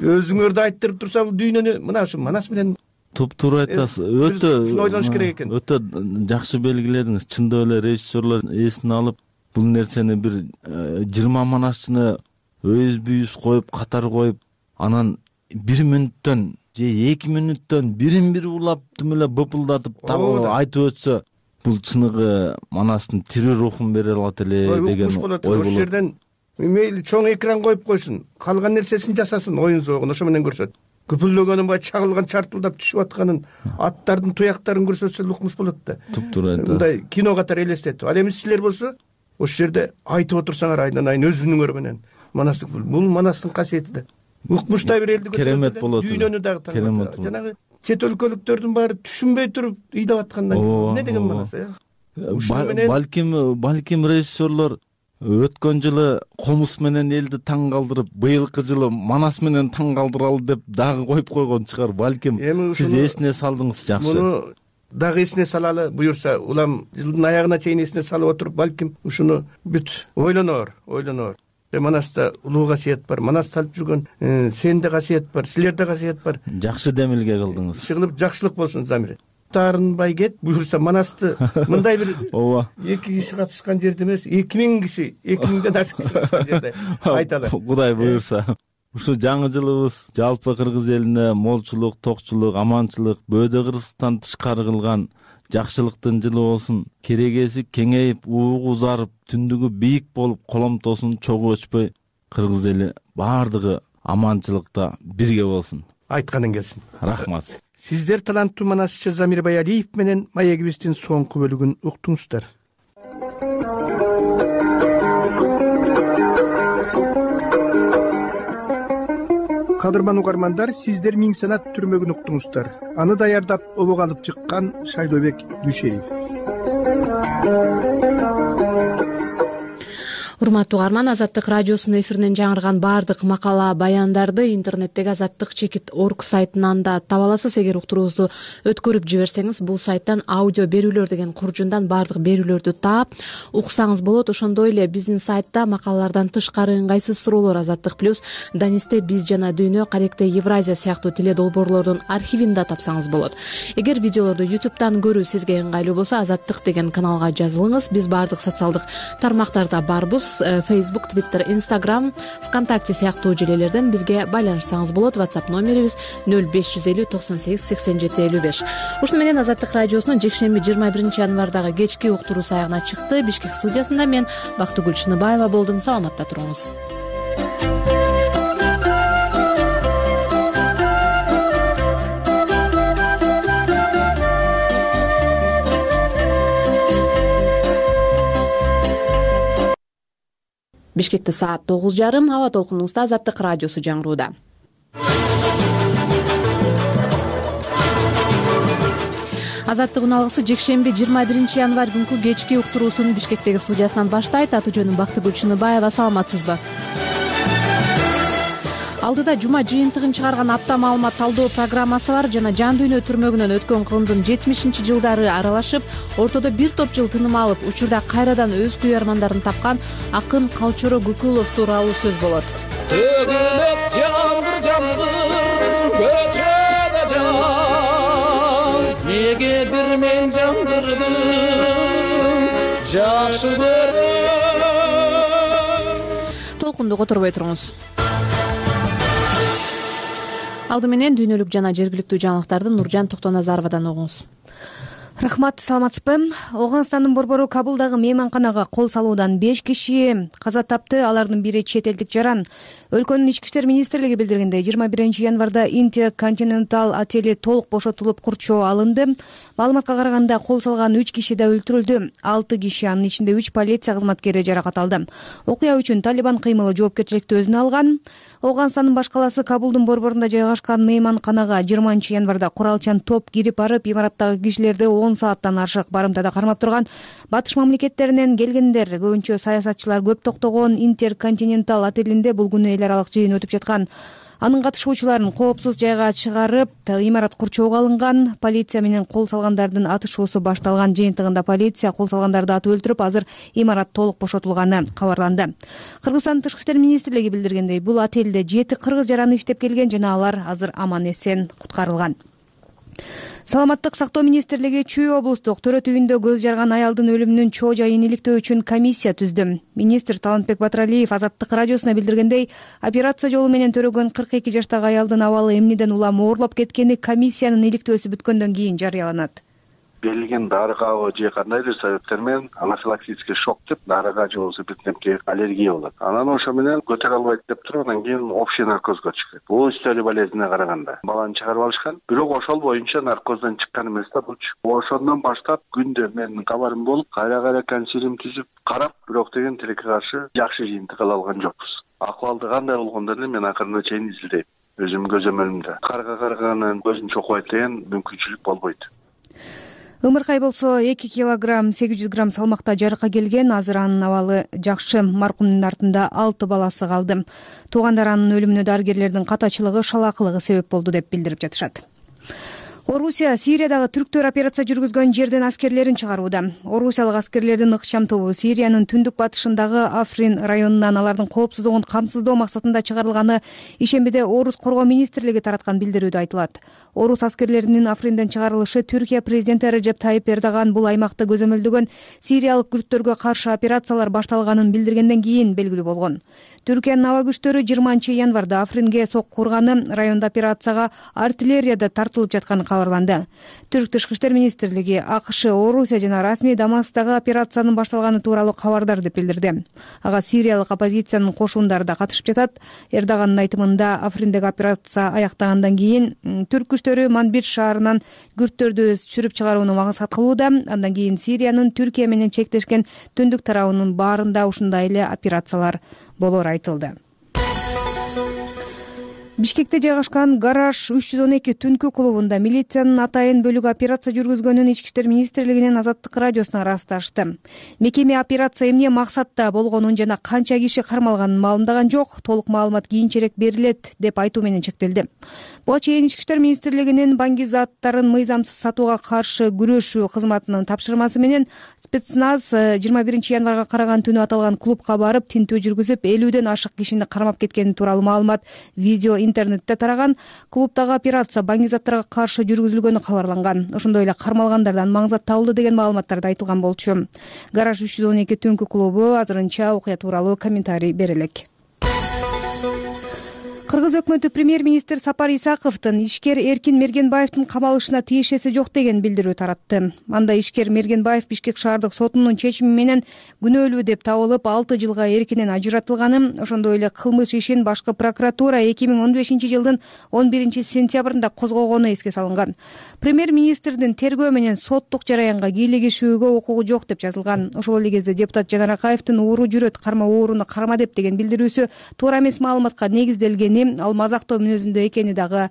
өзүңөрдү айттырып турса бул дүйнөнү мына ушу Манас менен туптуура айтасыз. Өтө ойлонуш керек экен. Өтө жакшы белгиледиңиз. Чындап эле режиссерлор эсине алып бул нерсени бир 20 манасчыны өз коюп, катар коюп, анан 1 мүнөттөн же 2 мүнөттөн бирин-бири улап тим эле быпылдатып айтып өтсө, бул чыныгы Манастын тирүү рухун бере алат эле деген ой болот. Ошол жерден мейли чоң экран коюп койсун, калган нерсесин жасасын, оюн зоогун ошо менен көрсөт. Күпүлдөгөнүн бай чагылган, чартылдап түшүп атканын, аттардын туяктарын көрсөтсө укмуш болот да. Туптуура айтасыз. Мындай кино катары элестетип. Ал эми силер болсо ошол жерде айтып отурсаңар айдан айын өзүнүңөр менен. Манастык бул Манастын касиети да. Укмуштай бир элди керемет болот. Дүйнөнү дагы таңдап. Жанагы чет өлкөлүктөрдүн баары түшүнбөй туруп ыйдап аткандан эмне деген Манас, Балким режиссерлор өткөн жылы комуз менен элди таң калтырып, быйылкы жылы Манас менен таң калтыралы деп дагы коюп койгон чыгар. Балким сиз эсине салдыңыз, жакшы. Муну дагы эсине салалы, буюрса, улам жылдын аягына чейин эсине салып отуруп, балким ушуну бүт ойлоноор. Манаста улуу касиет бар, Манаста алып жүргөн сенде касиет бар, силерде касиет бар. Жакшы демилге кылдыңыз. Чыгылып жакшылык болсун, Замир. Таарынбай кет, буюрса Манасты мындай бир 2 киши катышкан жерде эмес, 2000 киши, 2000ден ашык киши катышкан жерде айталы. Кудай буюрса. Ушу жаңы жылыбыз жалпы кыргыз элине молчулук, токчулук, аманчылык, бөөдө Кыргызстан тышкары кылган жакшылыктын жылы болсун. Керегеси кеңейип, уугу узарып, түндүгү бийик болуп, коломтосун чогуу өчпөй, кыргыз эли баардыгы аманчылыкта бирге болсун. Айтканың келсин. Рахмат. Сиздер таланттуу манасчы Замир Баялиев менен маегибиздин соңку бөлүгүн уктуңуздар. Кадырман угармандар, сиздер Миң санат түрмөгүн уктуңуздар. Аны даярдап обок алып чыккан Шайлообек Дүйшеев. урматтуу угарман, Азаттык радиосунун эфиринен жаңырган баардык макала баяндарды интернеттеги azattik.org сайтынан да таба аласыз. Эгер уктуруубузду өткөрүп жиберсеңиз, бул сайттан аудио берүүлөр деген куржундан баардык берүүлөрдү таап уксаңыз болот. Ошондой эле биздин сайтта макалалардан тышкары ыңгайсыз суроолор, Азаттык плюс, Данисте биз жана дүйнө, Каректе Евразия сыяктуу теледолбоорлордун архивин да тапсаңыз болот. Эгер видеолорду YouTube'дан көрүү сизге ыңгайлуу болсо, Азаттык деген каналга жазылыңыз. Биз баардык социалдык тармактарда барбыз. Facebook, Twitter, Instagram, ВКонтакте сыяктуу желелерден бизге байланышсаңыз болот. WhatsApp номерибиз 0550 98 87 55. Ушуну менен Азаттык радиосунун жекшемби 21 январдагы кечки уктуруу саягына чыкты. Бишкек студиясында мен Бактыгүл Чыныбаева болдум. Саламатта туруңуз. Бишкекте саат 9:30, аба толкунубузда Азаттык радиосу жаңырууда. Азаттык үналгысы жекшемби 21 январь күнкү кечки уктуруусун Бишкектеги студиясынан баштайт. Аты жөнүм Бактыгүл Чыныбаева. Саламатсызбы? Алдыда жума жыйынтыгын чыгарган апта маалымат талдоо программасы бар. Жана жан дүйнө түрмөгүнөн өткөн кылымдын 70-жылдары аралашып, ортодо бир топ жыл тыным алып, учурда кайрадан өз күйөрмандарын тапкан акын Калчоро Гүкүлов тууралуу сөз болот. Төгүлөт жамгыр жамгыр көчөдө жаз, неге бир мен жамгырдым жакшы көрөм. Толкунду которбой туруңуз. Алды менен дүйнөлүк жана жергиликтүү жаңылыктарды Нуржан Токтоназаровадан угуңуз. Рахмат, саламатсызбы? Оганстандын борбору Кабылдагы мейманканага кол салуудан 5 киши каза тапты. Алардын бири чет элдик жаран. Өлкөнүн ички иштер министрлиги билдиргендей, 21 январда Интерконтинентал отели толук бошотулуп курчоо алынды. Маалыматка караганда кол салган 3 киши да өлтүрүлдү. 6 киши, анын ичинде 3 полиция кызматкери жаракат алды. Окуя үчүн Талибан кыймылы жоопкерчиликти өзүнө алган. Оганстандын баш калаасы Кабулдун борборунда жайгашкан мейманканага 20 январда куралчан топ кирип барып, имараттагы кишилерди 10 сааттан ашык барымтада кармап турган. Батыш мамлекеттеринен келгендер, көбүнчө саясатчылар көп токтогон Интерконтинентал отелинде бул күнү эл аралык жыйын өтүп жаткан. Анын катышуучуларын коопсуз жайга чыгарып, имарат курчоого алынган. Полиция менен кол салгандардын атышуусу башталган. Жыйынтыгында полиция кол салгандарды атып өлтүрүп, азыр имарат толук бошотулганы кабарланды. Кыргызстандын тышкы иштер министрлиги билдиргендей, бул отелде 7 кыргыз жараны иштеп келген жана алар азыр аман эсен куткарылган. Саламаттык сактоо министрлиги Чүй облустук төрөт үйүндө көз жарган аялдын өлүмүнүн чоо жайын иликтөө үчүн комиссия түздү. Министр Талантбек Батыралиев Азаттык радиосуна билдиргендей, операция жолу менен төрөгөн 42 жаштагы аялдын абалы эмнеден улам оорлоп кеткени комиссиянын иликтөөсү бүткөндөн кийин жарыяланат. Берилген дарыга же кандайдыр себептер менен анафилактический шок деп дарыга же болбосо бир аллергия болот. Анан ошо менен көтөрө албайт деп туруп, анан кийин общий наркозго чыгат. Бул үстөлү болезнине караганда баланы чыгарып алышкан. Бирок ошол боюнча наркоздон чыккан эмес да булчу. Ошондон баштап күндө менин кабарым болуп, кайра консилиум түзүп карап, бирок деген тилекке каршы жакшы жыйынтык ала алган жокпуз. Акыбалды кандай болгондорун мен акырына чейин изилдейм. Өзүм көзөмөлүмдө. Карга карганын көзүн чокпойт деген мүмкүнчүлүк болбойт. Ымыркай болсо 2 килограмм 800 грамм салмакта жарыкка келген. Азыр анын абалы жакшы. Маркумдун артында 6 баласы калды. Туугандар анын өлүмүнө дарыгерлердин катачылыгы, шалаакылыгы себеп болду деп билдирип жатышат. Орусия Сириядагы түрктөр операция жүргүзгөн жерден аскерлерин чыгарууда. Орусиялык аскерлердин ыкчам тобу Сириянын түндүк батышындагы Африн районунан алардын коопсуздугун камсыздоо максатында чыгарылганы ишембиде Орус коргоо министрлиги тараткан билдирүүдө айтылат. Орус аскерлеринин Афринден чыгарылышы Түркия президенти Режеп Тайип Эрдоган бул аймакты көзөмөлдөгөн сириялык күрттөргө каршы операциялар башталганын билдиргенден кийин белгилүү болгон. Түркиянын аба күчтөрү 20 январда Афринге сокку урганы, райондо операцияга артиллерияда тартылып жатканы кабарланды. Түрк тышкы иштер министрлиги АКШ, Орусия жана расмий Дамасктагы операциянын башталганы тууралуу кабардар деп билдирди. Ага сириялык оппозициянын кошундары да катышып жатат. Эрдогандын айтымында Африндеги операция аяктагандан кийин түрк күчтөрү Манбич шаарынан күрттөрдү сүрүп чыгарууну максат кылууда. Андан кийин Сириянын Түркия менен чектешкен түндүк тарабынын баарында ушундай эле операциялар болор айтылды. Бишкекте жайгашкан Гараж 312 түнкү клубунда милициянын атайын бөлүгү операция жүргүзгөнүн Ички иштер министрлигинин Азаттык радиосуна ырасташты. Мекеме операция эмне максатта болгонун жана канча киши кармалганын маалымдаган жок, толук маалымат кийинчерээк берилет деп айтуу менен чектелди. Буга чейин Ички иштер министрлигинин баңги заттарын мыйзамсыз сатууга каршы күрөшүү кызматынын тапшырмасы менен спецназ 21 январга караган түнү аталган клубка барып тинтүү жүргүзүп 50ден ашык кишини кармап кеткени тууралуу маалымат видео интернетте тараган. Клубдагы операция баңги заттарга каршы жүргүзүлгөнү кабарланган. Ошондой эле кармалгандардан маңзат табылды деген маалыматтарды айтылган болчу. Гараж 312 түнкү клубу азырынча окуя тууралуу комментарий бере элек. Кыргыз өкмөтү премьер-министр Сапар Исаковдун ишкер Эркин Мергенбаевдин камалышына тиешеси жок деген билдирүү таратты. Анда ишкер Мергенбаев Бишкек шаардык сотунун чечими менен күнөөлүү деп табылып 6 жылга эркинен ажыратылганын, ошондой эле кылмыш ишин башкы прокуратура 2015 жылдын 11 сентябрында козгогону эске салынган. Премьер-министрдин тергөө менен соттук жараянга кийлигишүүгө укугу жок деп жазылган. Ошол эле кезде депутат Жанар Акаевдин ууру жүрөт, карма ууруну карма деп деген билдирүүсү туура эмес маалыматка негизделгени, ал мазактоо мүнөзүндө экени дагы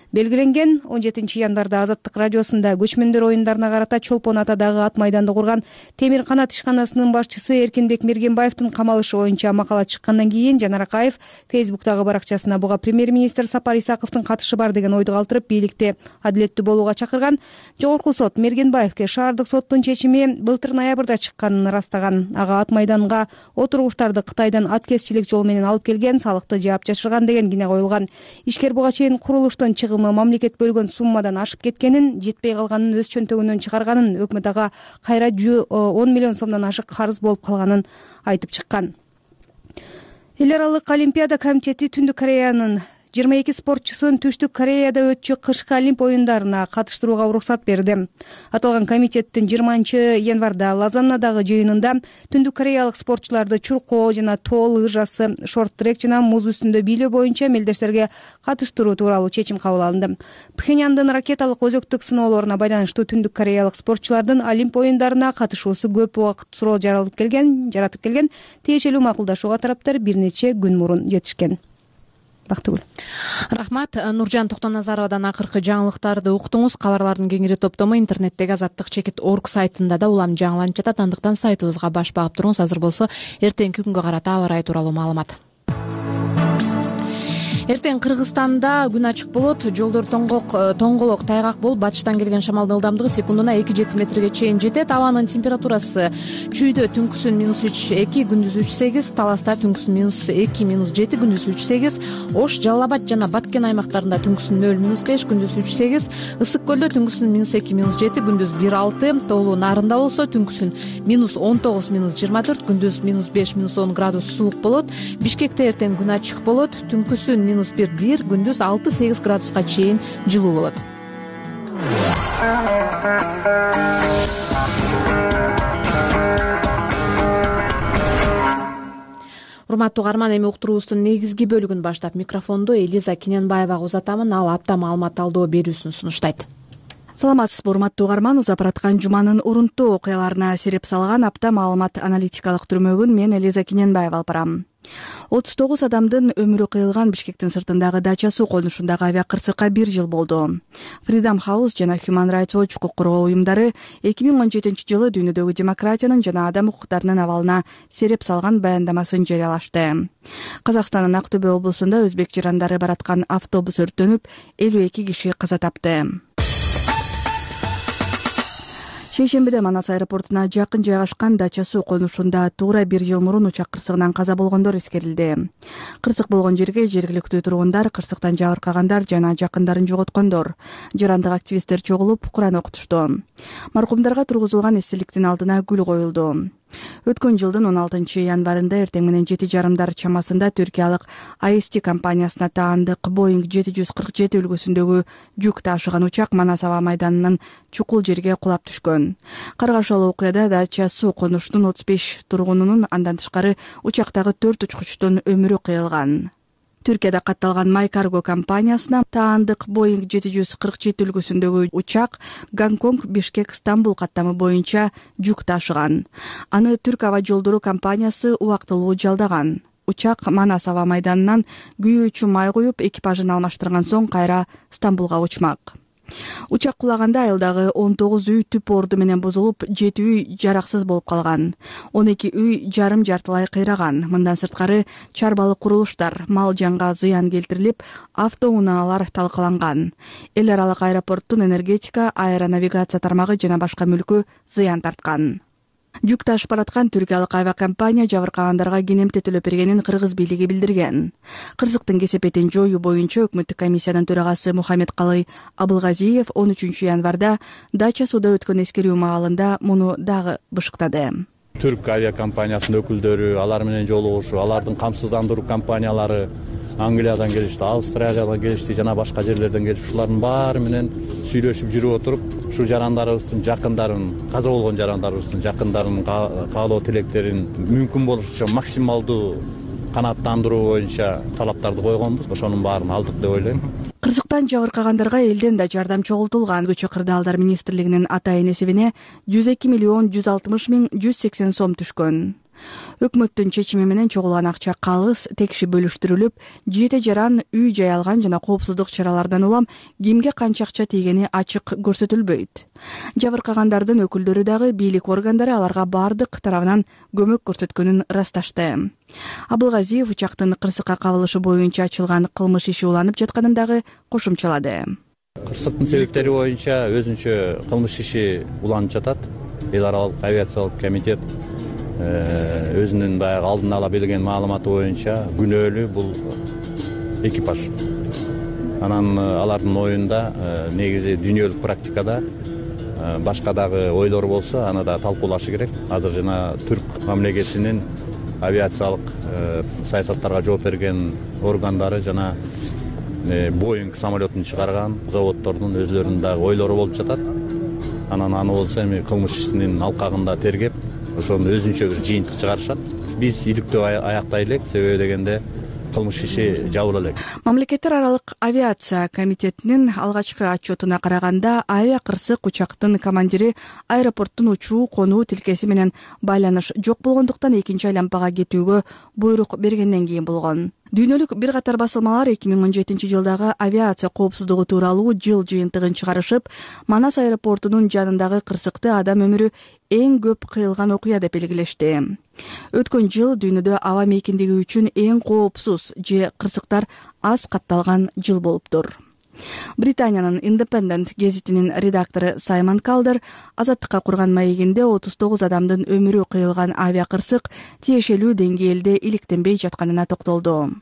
белгиленген. 17 январда Азаттык радиосунда көчмөндөр оюндарына карата Чолпон атадагы ат майданды курган Темир канат ишканасынын башчысы Эркинбек Мергенбаевдин камалышы боюнча макала чыккандан кийин Жанар Акаев Фейсбуктагы баракчасына буга премьер-министр Сапар Исаковдун катышы бар деген ойду калтырып, бийликти адилеттүү болууга чакырган. Жогорку сот Мергенбаевке шаардык соттун чечими былтыр ноябрда чыкканын ырастаган. Ага ат майданга отургучтарды Кытайдан аткезчилик жол менен алып келген, салыкты жаап жашырган деген кине коюлган. Ишкер буга чейин курулуштун мамлекет бөлгөн суммадан ашып кеткенин, жетпей калганын өз чөнтөгүнөн чыгарганын, өкмөт ага кайра 10 миллион сомдон ашык карыз болуп калганын айтып чыккан. Эл аралык олимпиада комитети Түндүк Кореянын 22 спортчусун Түштүк Кореяда өтчү кышкы олимп оюндарына катыштырууга уруксат берди. Аталган комитеттин 20 январда Лозаннадагы жыйынында Түндүк Кореялык спортчуларды чуркоо жана тоол ыжасы, шорт-трек жана муз үстүндө бийлөө боюнча мелдештерге катыштыруу тууралуу чечим кабыл алынды. Пхеньяндын ракеталык өзөктүк сыноолоруна байланыштуу Түндүк Кореялык спортчулардын олимп оюндарына катышуусу көп убакыт суроо жаратып келген. Тиешелүү макулдашууга тараптар бир нече күн мурун жетишкен. Бактыгүл. Рахмат. Нуржан Токтоназаровадан акыркы жаңылыктарды уктуңуз. Кабарлардын кеңири топтому интернеттеги azattik.org сайтында да улам жаңыланып жатат. Андыктан сайтыбызга баш багып туруңуз. Азыр болсо эртеңки күнгө карата аба ырайы тууралуу маалымат. Эртең Кыргызстанда күн ачык болот. Жолдор тоңголок тайгак болуп, батыштан келген шамалдын ылдамдыгы секундуна 2-7 метрге чейин жетет. Абанын температурасы чүйдө түнкүсүн -3-2, күндүз 3-8, Таласта түнкүсүн -2, -7, күндүз 3-8, Ош, Жалал Абад жана Баткен аймактарында түнкүсүн 0-5, күндүз 3-8, Ысык көлдө түнкүсүн -2, -7, күндүз 1-6, Тоолуу Нарында болсо түнкүсүн -19, -24, күндүз -5, -10 градус суук болот. Бишкекте эртең күн ачык болот. Түнкүсүн -1, күндүз 6-8 градуска чейин жылуу болот. Урматтуу угарман, эми уктуруубуздун негизги бөлүгүн баштап микрофонду Элиза Кененбаевага узатамын. Ал апта маалымат талдоо берүүсүн сунуштайт. Саламатсызбы, урматтуу угарман. Узап бараткан жуманын урунттуу окуяларына сереп салган апта маалымат аналитикалык түрмөгүн мен Элиза Кененбаева алып барам. 39 адамдын өмүрү кыйылган Бишкектин сыртындагы Дача суу конушундагы авиакырсыкка 1 жыл болду. Freedom House жана Human Rights Watch укук коргоо уюмдары 2017 жылы дүйнөдөгү демократиянын жана адам укуктарынын абалына сереп салган баяндамасын жарыялашты. Казакстандын Актөбө облусунда өзбек жарандары бараткан автобус өрттөнүп, 52 киши каза тапты. Шейшембиде Манас аэропортуна жакын жайгашкан Дача суу конушунда туура 1 жыл мурун учак кырсыгынан каза болгондор эскерилди. Кырсык болгон жерге жергиликтүү тургундар, кырсыктан жабыркагандар жана жакындарын жоготкондор, жарандык активисттер чогулуп, Куран окутушту. Маркумдарга тургузулган эстеликтин алдына гүл коюлду. Өткөн жылдын 16 январында эртең менен 7:30 чамасында түркиялык AST компаниясына таандык Boeing 747 үлгүсүндөгү жүк ташыган учак Манас аба майданынын чукул жерге кулап түшкөн. Каргашалы окуяда Дача суу конушунун 35 тургунунун, андан тышкары учактагы 4 учкучтун өмүрү кыйылган. Түркияда катталган My Cargo компаниясына таандык Boeing 747 үлгүсүндөгү учак Гонконг, Бишкек, Стамбул каттамы боюнча жүк ташыган. Аны Түрк аба жолдору компаниясы убактылуу жалдаган. учак Манас аба майданынан күйүү үчүн май куюп, экипажын алмаштырган соң кайра Стамбулга учмак. Учак кулаганда айылдагы 19 үй түп орду менен бузулуп, 7 үй жараксыз болуп калган. 12 үй жарым-жартылай кыйраган. Мындан сырткары чарбалык курулуштар, мал жанга зыян келтирилип, автоунааналар талкаланган. Эл аралык аэропорттун энергетика, аэронавигация тармагы жана башка мүлкү зыян тарткан. Жүк ташып бараткан түркиялык авиакомпания жабыркагандарга кенемте төлөп бергенин кыргыз бийлиги билдирген. Кырсыктын кесепетин жоюу боюнча өкмөттүк комиссиянын төрагасы Мухаммедкалый Абылгазиев 13 январда Дача сууда өткөн эскерүү маалында муну дагы бышыктады. Түрк авиакомпаниясынын өкүлдөрү, алар менен жолугушуу, алардын камсыздандыруу компаниялары Англиядан келишти, Австралиядан келишти, жана башка жерлерден келишти. Ушулардын баары менен сүйлөшүп жүрүп отуруп, ушу жарандарыбыздын жакындарын, каза болгон жарандарыбыздын жакындарынын каалоо тилектерин мүмкүн болушунча максималдуу канааттандыруу боюнча талаптарды койгонбуз. Ошонун баарын алдык деп ойлойм. Кырсыктан жабыркагандарга элден да жардам чогултулган. Көчө кырдаалдар министрлигинин атайын эсебине 102 миллион 160 миң 180 сом түшкөн. Өкмөттүн чечими менен чогулган акча калыс текши бөлүштүрүлүп, 7 жаран үй жай алган жана коопсуздук чаралардан улам кимге канча акча тийгени ачык көрсөтүлбөйт. Жабыркагандардын өкүлдөрү дагы бийлик органдары аларга бардык тарабынан көмөк көрсөткөнүн ырасташты. Абылгазиев учактын кырсыкка кабылышы боюнча ачылган кылмыш иши уланып жатканын дагы кошумчалады. Кырсыктын себептери боюнча өзүнчө кылмыш иши уланып жатат. Эл аралык авиациялык комитет өзүнүн баягы алдын ала берген маалыматы боюнча күнөөлүү бул экипаж. Анан алардын оюнда негизи дүйнөлүк практикада башка дагы ойлор болсо, аны да талкуулашы керек. Азыр жана Түрк мамлекетинин авиациялык саясаттарга жооп берген органдары жана Боинг самолетун чыгарган заводдордун өзлөрүнүн дагы ойлору болуп жатат. Анан аны болсо эми кылмыш ишинин алкагында тергеп, ошону өзүнчө бир жыйынтык чыгарышат. Биз иликтөө аяктай элек, себеби дегенде кылмыш иши жабыла элек. Мамлекеттер аралык авиация комитетинин алгачкы отчетуна караганда, авиакырсык учактын командири аэропорттун учуу конуу тилкеси менен байланыш жок болгондуктан экинчи айлампага кетүүгө буйрук бергенден кийин болгон. Дүйнөлүк бир катар басылмалар 2017 жылдагы авиация коопсуздугу тууралуу жыл жыйынтыгын чыгарышып, Манас аэропортунун жанындагы кырсыкты адам өмүрү эң көп кыйылган окуя деп белгилешти. Өткөн жыл дүйнөдө аба мейкиндиги үчүн эң коопсуз же кырсыктар аз катталган жыл болуптур. Британиянын Independent гезитинин редактору Саймон Калдер Азаттыкка курган маегинде 39 адамдын өмүрү кыйылган авиакырсык тиешелүү деңгээлде иликтенбей жатканына токтолду.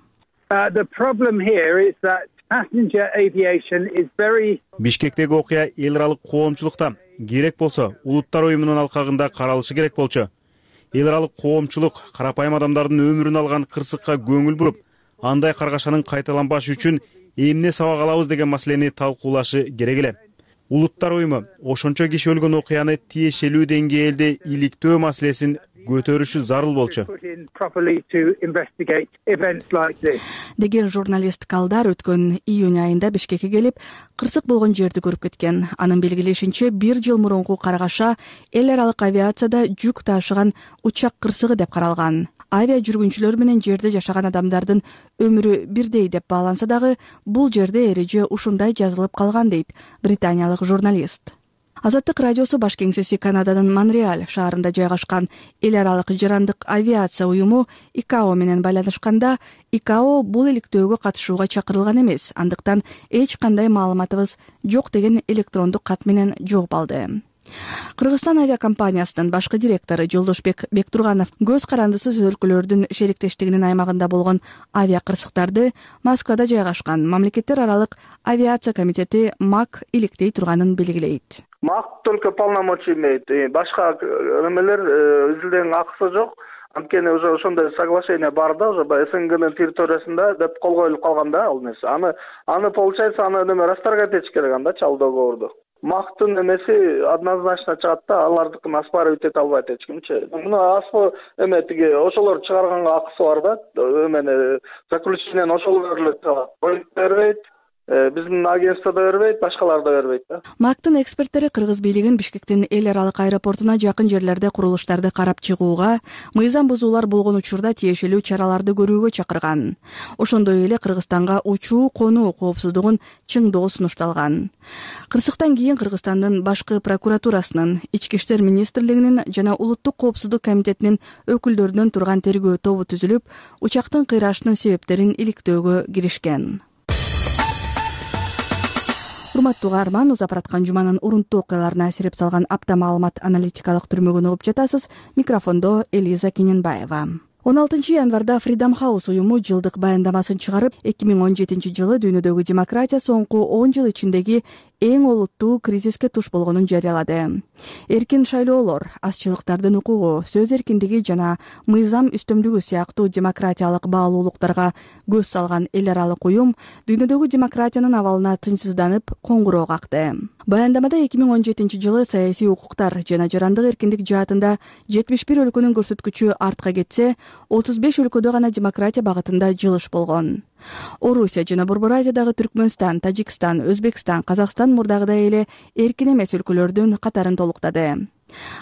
Бишкектеги окуя эл аралык коомчулукта керек болсо улуттар уюмунун алкагында каралышы керек болчу. Эл аралык коомчулук карапайым адамдардын өмүрүн алган кырсыкка көңүл буруп, андай каргашанын кайталанбашы үчүн эмне сабак алабыз деген маселени талкуулашы керек эле. Улуттар уюму ошончо киши өлгөн окуяны тиешелүү деңгээлде иликтөө маселесин көтөрүшү зарыл болчу. Деген журналист Калдар өткөн июнь айында Бишкекке келип, кырсык болгон жерди көрүп кеткен. Анын белгилешинче, 1 жыл мурунку каргаша эл аралык авиацияда жүк ташыган учак кырсыгы деп каралган. Авиа жүргүнчүлөр менен жерде жашаган адамдардын өмүрү бирдей деп бааланса дагы, бул жерде эреже ушундай жазылып калган дейт британиялык журналист. Азаттык радиосу баш кеңсеси Канаданын Монреаль шаарында жайгашкан эл аралык жарандык авиация уюму ИКАО менен байланышканда, ИКАО бул иликтөөгө катышууга чакырылган эмес, андыктан эч кандай маалыматыбыз жок деген электрондук кат менен жооп алды. Кыргызстан авиакомпаниясынын башкы директору Жолдошбек Бектурганов көз карандысыз өлкөлөрдүн шериктештигинин аймагында болгон авиакырсыктарды Москвада жайгашкан мамлекеттер аралык авиация комитети МАК иликтей турганын белгилейт. МАК только полномочия имеет. Башка эмелер изилденин акысы жок. Анткени уже ошондой соглашение бар да, уже СНГнын территориясында деп кол коюлуп калган да ал нерсе. Аны получается, аны неме расторгать этиш керек анда ал договорду. МАКтын эмеси однозначно чыгат да, алардыкын оспаривать эте албайт эч кимчи. Муну аспы эме тиги ошолор чыгарганга акысы бар да, эмени заключениени ошолор эле чыгат. Бербейт. Биздин агентство да бербейт, башкалар да бербейт да. МАКтын эксперттери кыргыз бийлигин Бишкектин эл аралык аэропортуна жакын жерлерде курулуштарды карап чыгууга, мыйзам бузуулар болгон учурда тиешелүү чараларды көрүүгө чакырган. Ошондой эле Кыргызстанга учуу конуу коопсуздугун чыңдоо сунушталган. Кырсыктан кийин Кыргызстандын башкы прокуратурасынын, Ички иштер министрлигинин жана Улуттук коопсуздук комитетинин өкүлдөрүнөн турган тергөө тобу түзүлүп, учактын кыйрашынын себептерин иликтөөгө киришкен. Урматтуу каарман, узап бараткан жуманын урунттуу окуяларына асирип салган апта маалымат аналитикалык түрмөгүн угуп жатасыз. Микрофондо Элиза Кененбаева. 16 январда Freedom House уюму жылдык баяндамасын чыгарып, 2017 жылы дүйнөдөгү демократия соңку 10 жыл ичиндеги эң олуттуу кризиске туш болгонун жарыялады. Эркин шайлоолор, азчылыктардын укугу, сөз эркиндиги жана мыйзам үстөмдүгү сыяктуу демократиялык баалуулуктарга көз салган эл аралык уюм дүйнөдөгү демократиянын абалына тынчсызданып коңгуроо какты. Баяндамада 2017 жылы саясий укуктар жана жарандык эркиндик жаатында 71 өлкөнүн көрсөткүчү артка кетсе, 35 өлкөдө гана демократия багытында жылыш болгон. Орусия жана Борбор Азиядагы Түркмөнстан, Тажикстан, Өзбекстан, Казакстан мурдагыдай эле эркин эмес өлкөлөрдүн катарын толуктады.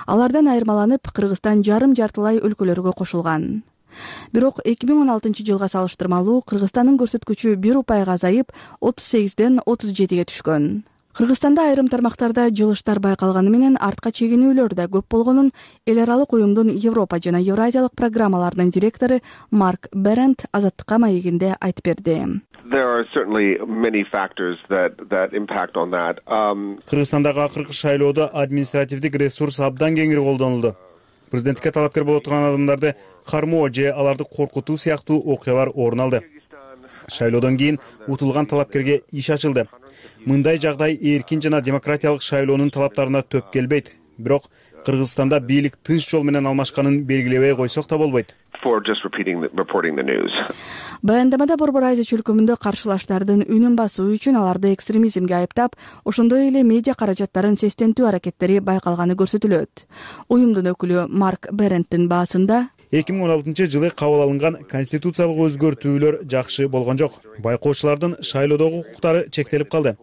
Алардан айырмаланып, Кыргызстан жарым-жартылай өлкөлөргө кошулган. Бирок 2016 жылга салыштырмалуу Кыргызстандын көрсөткүчү 1 упайга азайып, 38ден 37ге түшкөн. Кыргызстанда айрым тармактарда жылыштар байкалганы менен артка чегинүүлөр да көп болгонун эл аралык уюмдун Европа жана Евразиялык программаларынын директору Марк Берент Азаттыкка маегинде айтып берди. Кыргызстандагы акыркы шайлоодо административдик ресурс абдан кеңири колдонулду. Президенттикке талапкер боло турган адамдарды кармоо же аларды коркутуу сыяктуу окуялар орун алды. Шайлоодон кийин утулган талапкерге иш ачылды. Мындай жагдай эркин жана демократиялык шайлоонун талаптарына төп келбейт. Бирок Кыргызстанда бийлик тынч жол менен алмашканын белгилебей койсок да болбойт. Баяндамада Борбор Азия чөлкөмүндө каршылаштардын үнүн басуу үчүн аларды экстремизмге айыптап, ошондой эле медиа каражаттарын сестентүү аракеттери байкалганы көрсөтүлөт. Уюмдун өкүлү Марк Беренттин баасында 2016 жылы кабыл алынган конституциялык өзгөртүүлөр жакшы болгон жок. Байкоочулардын шайлоодогу укуктары чектелип калды.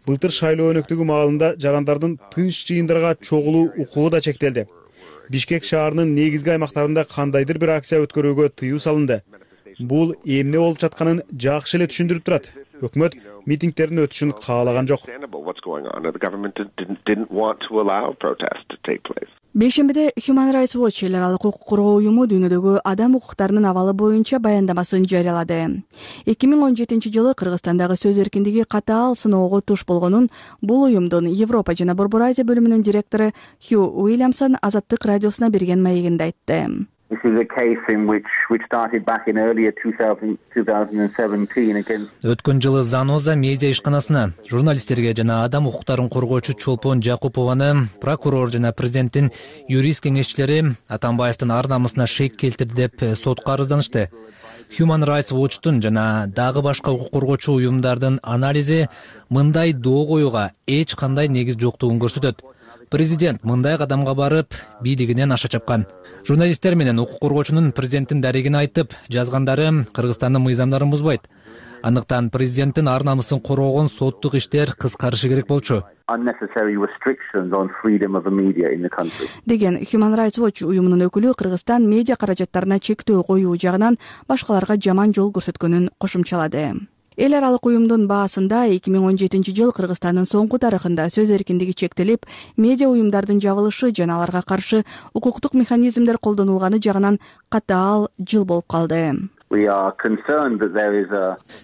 Былтыр шайлоо өнөктүгү маалында жарандардын тынч жыйындарга чогулуу укугу да чектелди. Бишкек шаарынын негизги аймактарында кандайдыр бир акция өткөрүүгө тыюу салынды. Бул эмне болуп жатканын жакшы эле түшүндүрүп турат. Өкмөт митингдердин өтүшүн каалаган жок. Бейшембиде Human Rights Watch эл аралык укук коргоо уюму дүйнөдөгү адам укуктарынын абалы боюнча баяндамасын жарыялады. 2017 жылы Кыргызстандагы сөз эркиндиги катаал сыноого туш болгонун бул уюмдун Европа жана Борбор Азия бөлүмүнүн директору Хью Уильямсон Азаттык радиосуна берген маегинде айтты. Өткөн жылы Заноза медиа ишканасына журналисттерге жана адам укуктарын коргоочу Чолпон Жакупованы прокурор жана президенттин юрист кеңешчилери Атамбаевдин ар намысына шек келтирди деп сотко арызданышты. Human Rights Watch'тун жана дагы башка укук коргоочу уюмдардын анализи мындай доо коюуга эч кандай негиз жоктугун көрсөтөт. Президент мындай кадамга барып, бийлигинен аша чапкан. Журналисттер менен укук коргоочунун президенттин дарегин айтып жазгандары Кыргызстандын мыйзамдарын бузбайт. Андыктан президенттин ар намысын коргогон соттук иштер кыскарышы керек болчу. Деген Human Rights Watch уюмунун өкүлү Кыргызстан медиа каражаттарына чектөө коюу жагынан башкаларга жаман жол көрсөткөнүн кошумчалады. Эл аралык уюмдун баасында 2017 жыл Кыргызстандын соңку тарыхында сөз эркиндиги чектелип, медиа уюмдардын жабылышы жана аларга каршы укуктук механизмдер колдонулганы жагынан катаал жыл болуп калды.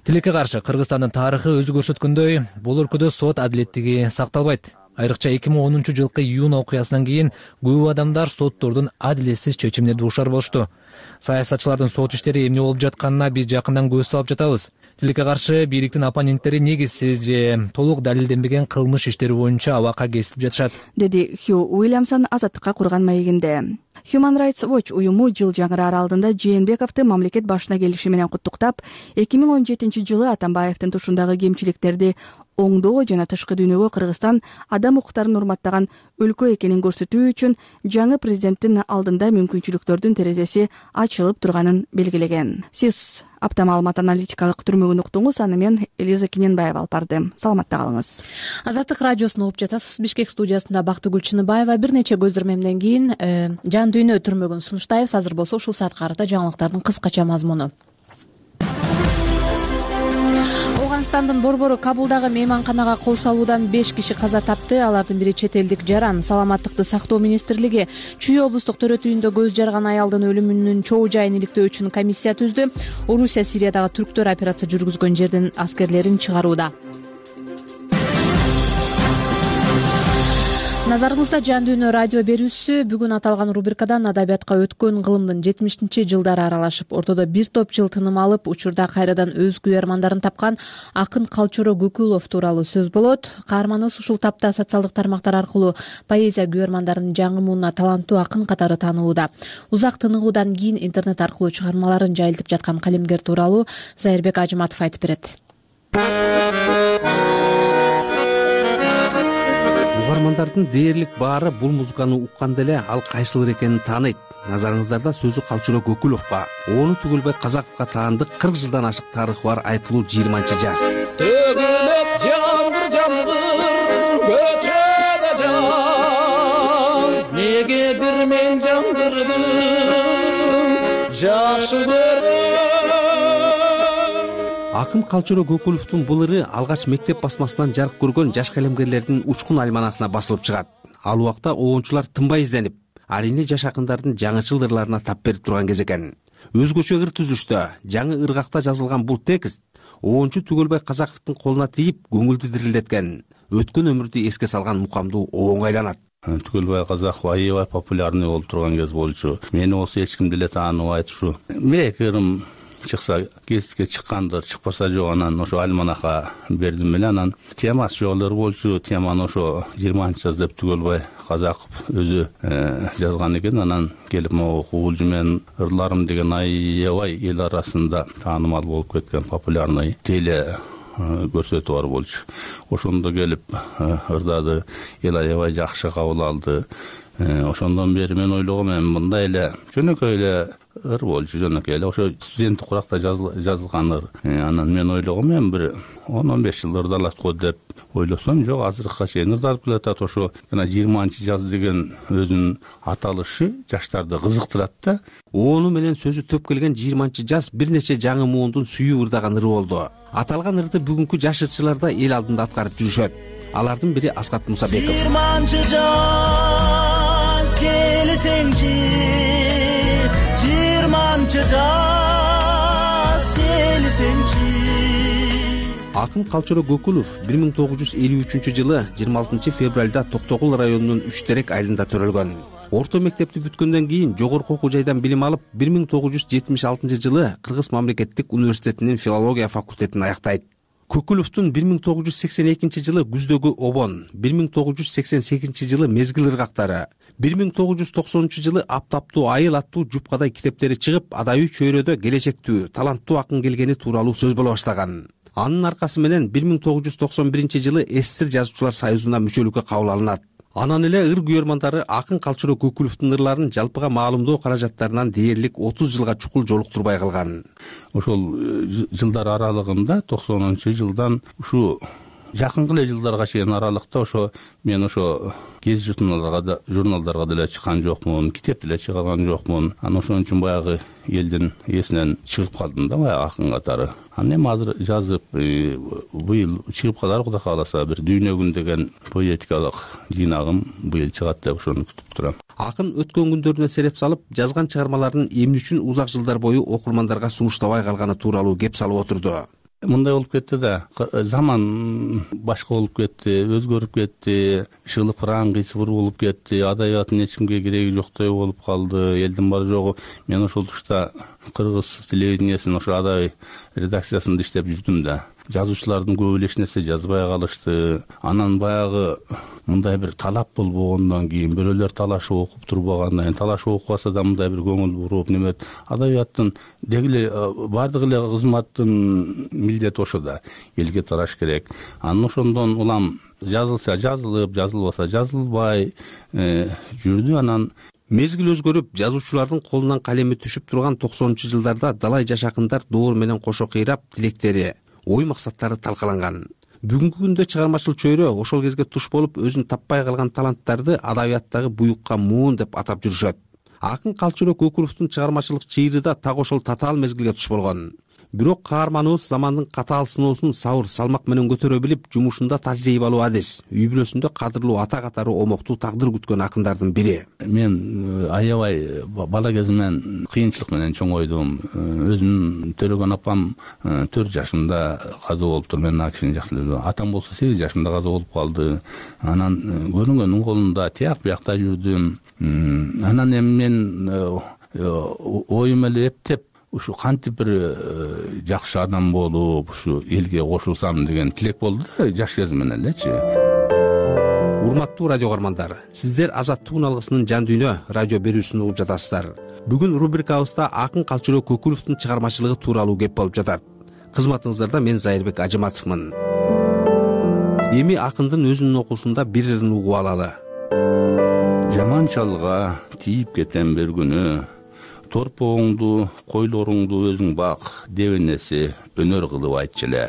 Тилекке каршы Кыргызстандын тарыхы өзү көрсөткөндөй, бул өлкөдө сот адилеттиги сакталбайт. Айрыкча 2010 жылкы июнь окуясынан кийин көп адамдар соттордун адилетсиз чечимине дуушар болушту. Саясатчылардын сот иштери эмне болуп жатканына биз жакындан көз салып жатабыз. Тилекке каршы бийликтин оппоненттери негизсиз же толук далилденбеген кылмыш иштери боюнча абакка кесилип жатышат, деди Хью Уильямсон Азаттыкка курган маегинде. Human Rights Watch уюму жыл жаңыраар алдында Жээнбековду мамлекет башына келиши менен куттуктап, 2017 жылы Атамбаевдин тушундагы кемчиликтерди оңдоо жана тышкы дүйнөгө Кыргызстан адам укуктарын урматтаган өлкө экенин көрсөтүү үчүн жаңы президенттин алдында мүмкүнчүлүктөрдүн терезеси ачылып турганын белгилеген. Сиз Апта маалымат аналитикалык түрмөгүн уктуңуз. Аны мен Элиза Кененбаева алып бардым. Саламатта калыңыз. Азаттык радиосун угуп жатасыз. Бишкек студиясында Бактыгүл Чыныбаева. Бир нече көздөрмөмдөн кийин Жан дүйнө түрмөгүн сунуштайбыз. Азыр болсо ушул саатка карата жаңылыктардын кыскача мазмуну. Афганистандын борбору Кабулдагы мейманканага кол салуудан 5 киши каза тапты. Алардын бири чет элдик жаран. Саламаттыкты сактоо министрлиги Чүй облустук төрөтүйүндө көз жарган аялдын өлүмүнүн чоо жайын иликтөө үчүн комиссия түздү. Орусия Сириядагы түрктөр операция жүргүзгөн жерден аскерлерин чыгарууда. Назарыңызда Жан дүйнө радио берүүсү. Бүгүн аталган рубрикадан адабиятка өткөн кылымдын 70-жылдары аралашып, ортодо бир топ жыл тыным алып, учурда кайрадан өз күйөрмандарын тапкан акын Калчоро Көкүлов тууралуу сөз болот. Каарманыбыз ушул тапта социалдык тармактар аркылуу поэзия күйөрмандарынын жаңы муунуна таланттуу акын катары таанылууда. Узак тыныгуудан кийин интернет аркылуу чыгармаларын жайылтып жаткан калемгер тууралуу Зайырбек Ажыматов айтып берет. Угармандардын дээрлик баары бул музыканы укканда эле ал кайсылыр экенин тааныйт. Назарыңыздарда сөзү Калчоро Көкүловго, Оonu Түгөлбай Казаковго таандык 40 жылдан ашык тарыхы бар айтылуу 20-жаз. Төгүлөт жамгыр жамгыр көчөдө жаз, неге бир мен жамгырдым жакшы көрөм. Акын Калчоро Көкүловдун бул ыры алгач мектеп басмасынан жарык көргөн жаш калемгерлердин учкун альманахына басылып чыгат. Ал убакта оончулар тынбай изденип, арийне жаш акындардын жаңычыл ырларына тап берип турган кез экен. Өзгөчө ыр түзүлүштө, жаңы ыргакта жазылган бул текст оончу Түгөлбай Казаковдун колуна тийип, көңүлдү дирилдеткен, өткөн өмүрдү эске салган мукамдуу оонго айланат. Түгөлбай Казаков аябай популярный болуп турган кез болчу. Мени болсо эч ким деле тааныбайт ушу. Бир-эки ырым чыкса гезитке чыккандыр, чыкпаса жок, анан ошо альманаха бердим эле. Анан темасы жолдор болчу, теманы ошо 20-жаз деп Түгөлбай Казаков өзү жазган экен. Анан келип могу куулжу менин ырларым деген аябай эл арасында таанымал болуп кеткен популярный теле көрсөтүү бар болчу. Ошондо келип ырдады, эл аябай жакшы кабыл алды. Ошондон бери мен ойлогом, мындай эле жөнөкөй эле ыр болчу, жөнөкөй эле ошо студенттик куракта жазылган ыр. Анан мен ойлогом, бир 10-15 жыл ырдалат го деп ойлосом, жок, азыркыга чейин ырдалып келатат. Ошо жана 20-жаз деген өзүнүн аталышы жаштарды кызыктырат да. Оonu менен сөзү төп келген 20-жаз бир нече жаңы муундун сүйүү ырдаган ыры болду. Аталган ырды бүгүнкү жаш ырчылар да эл алдында аткарып жүрүшөт. Алардын бири Аскат Мусабеков. 20-жаз келсеңчи, 20-жаз келсеңчи. Акын Калчоро Көкүлов 1953-жылы 26 февралда Токтогул районунун Үчтерек айылында төрөлгөн. Орто мектепти бүткөндөн кийин жогорку окуу жайдан билим алып, 1976-жылы Кыргыз мамлекеттик университетинин филология факультетин аяктайт. Көкүловдун 1982-жылы Күздөгү обон, 1988-жылы Мезгил ыргактары, 1990-жылы Аптаптуу айыл аттуу жупкадай китептери чыгып, адайы чөйрөдө келечектүү, таланттуу акын келгени тууралуу сөз боло баштаган. Анын аркасы менен 1991-жылы СССР жазуучулар союзуна мүчөлүккө кабыл алынат. Анан эле ыр күйөрмандары акын Калчоро Көкүловдун ырларын жалпыга маалымдоо каражаттарынан дээрлик 30 жылга чукул жолуктурбай калган. Ошол жылдар аралыгында 90-жылдан ушу жакынкы эле жылдарга чейин аралыкта ошо мен ошо гез журналдарга деле чыккан жокмун, китеп деле чыгарган жокмун. Анан ошон үчүн баягы элдин эсинен чыгып калдым да, баягы акын катары. Анан эми азыр жазып, быйыл чыгып калар, Кудай кааласа, бир Дүйнө күн деген поэтикалык жыйнагым быйыл чыгат деп ошону күтүп турам. Акын өткөн күндөрүнө сереп салып, жазган чыгармаларын эмне үчүн узак жылдар бою окурмандарга сунуштабай калганы тууралуу кеп салып отурду. Мындай болуп кетти да, заман башка болуп кетти, өзгөрүп кетти, шылыпыраң кыйсыбыр болуп кетти, адабияттын эч кимге кереги жоктой болуп калды, элдин баары жогу. Мен ошол тушта кыргыз телевидениясынын ошо адабий редакциясында иштеп жүрдүм да. Жазуучулардын көбү эле эч нерсе жазбай калышты. Анан баягы мындай бир талап болбогондон кийин, бирөөлөр талашып окуп турбагандан кийин, талашып окубаса да мындай бир көңүл буруп, немет адабияттын дегиле бардык эле кызматтын милдети ошо да, элге тараш керек. Анан ошондон улам жазылса жазылып, жазылбаса жазылбай жүрдү. Анан Мезгил өзгөрүп, жазуучулардын колунан калеми түшүп турган 90-жылдарда далай жашакындар доор менен кошо кыйрап, тилектери, ой максаттары талкаланган. Бүгүнкү күндө чыгармачыл чөйрө ошол кезге туш болуп, өзүн таппай калган таланттарды адабияттагы буюкка муун деп атап жүрүшөт. Акын Калчыроо Көкүловдун чыгармачылык чыйры да так ошол татаал мезгилге туш болгон. Бирок каарманыбыз замандын катаал сыноосун сабыр салмак менен көтөрө билип, жумушунда тажрыйбалуу адис, үй бүлөсүндө кадырлуу ата катары омоктуу тагдыр күткөн акындардын бири. Мен аябай бала кезимден кыйынчылык менен чоңойдум. Өзүм Төлөгөн апам 4 жашымда каза болуптур. Мен ал кишини жакшы эле. Атам болсо 8 жашымда каза болуп калды. Анан көрүнгөндүн колунда тияк биякта жүрдүм. Анан эми мен оюм эле эптеп ушу кантип бир жакшы адам болуп, ушу элге кошулсам деген тилек болду да жаш кезимден элечи. Урматтуу радио каармандар, сиздер Азаттык алгысынын жан дүйнө радио берүүсүн угуп жатасыздар. Бүгүн рубрикабызда Акын Калчыроо Көкүловдун чыгармачылыгы тууралуу кеп болуп жатат. Кызматыңыздарда мен Зайырбек Ажыматовмун. Эми акындын өзүнүн окуусунда бир ырын угуп алалы. Жаман чалга тийип кетем бир күнү, торпогуңду, койлоруңду өзүң бак, деп энеси өнөр кылып айтчу эле.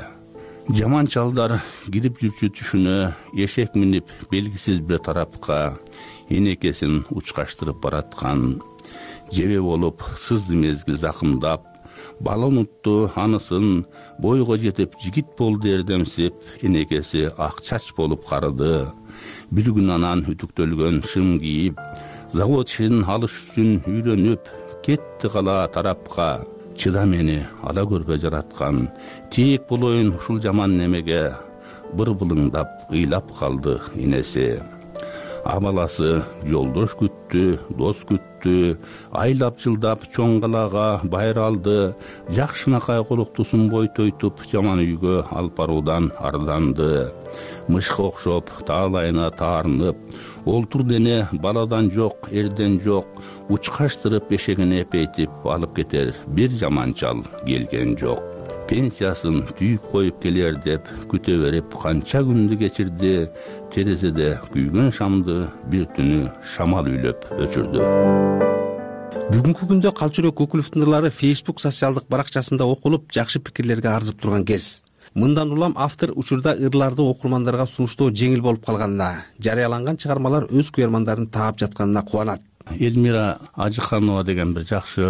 Жаман чалдар кирип жүрчү түшүнө, эшек минип белгисиз бир тарапка энекесин учкаштырып бараткан. Жебе болуп сызды мезгил закымдап, бала унутту анысын, бойго жетип жигит болду эрдемсип, энекеси ак чач болуп карыды. Бир күн анан үтүктөлгөн шым кийип, завод ишин алыш үчүн үйрөнүп, кетти кала тарапка. Чыда мени ала көрбө жараткан, тээк болоюн ушул жаман немеге, быр былыңдап ыйлап калды энеси. Абаласы жолдош күттү, дос күттү, айлап жылдап чоң калаага байралды, жакшынакай колуктусун бой тойтуп, жаман үйгө алып баруудан арданды. Мышка окшоп таалайына таарынып, олтур дене баладан жок, эрден жок, учкаштырып эшегине эпейтип алып кетер бир жаман чал келген жок. Пенсиясын түйүп коюп келер деп күтө берип канча күндү кечирди, терезеде күйгөн шамды бир түнү шамал үйлөп өчүрдү. Бүгүнкү күндө Калчыроо Көкүловдун ырлары Facebook социалдык баракчасында окулуп, жакшы пикирлерге арзып турган кез. Мындан улам автор учурда ырларды окурмандарга сунуштоо жеңил болуп калганына, жарыяланган чыгармалар өз куярмандарын таап жатканына кубанат. Элмира Ажыканова деген бир жакшы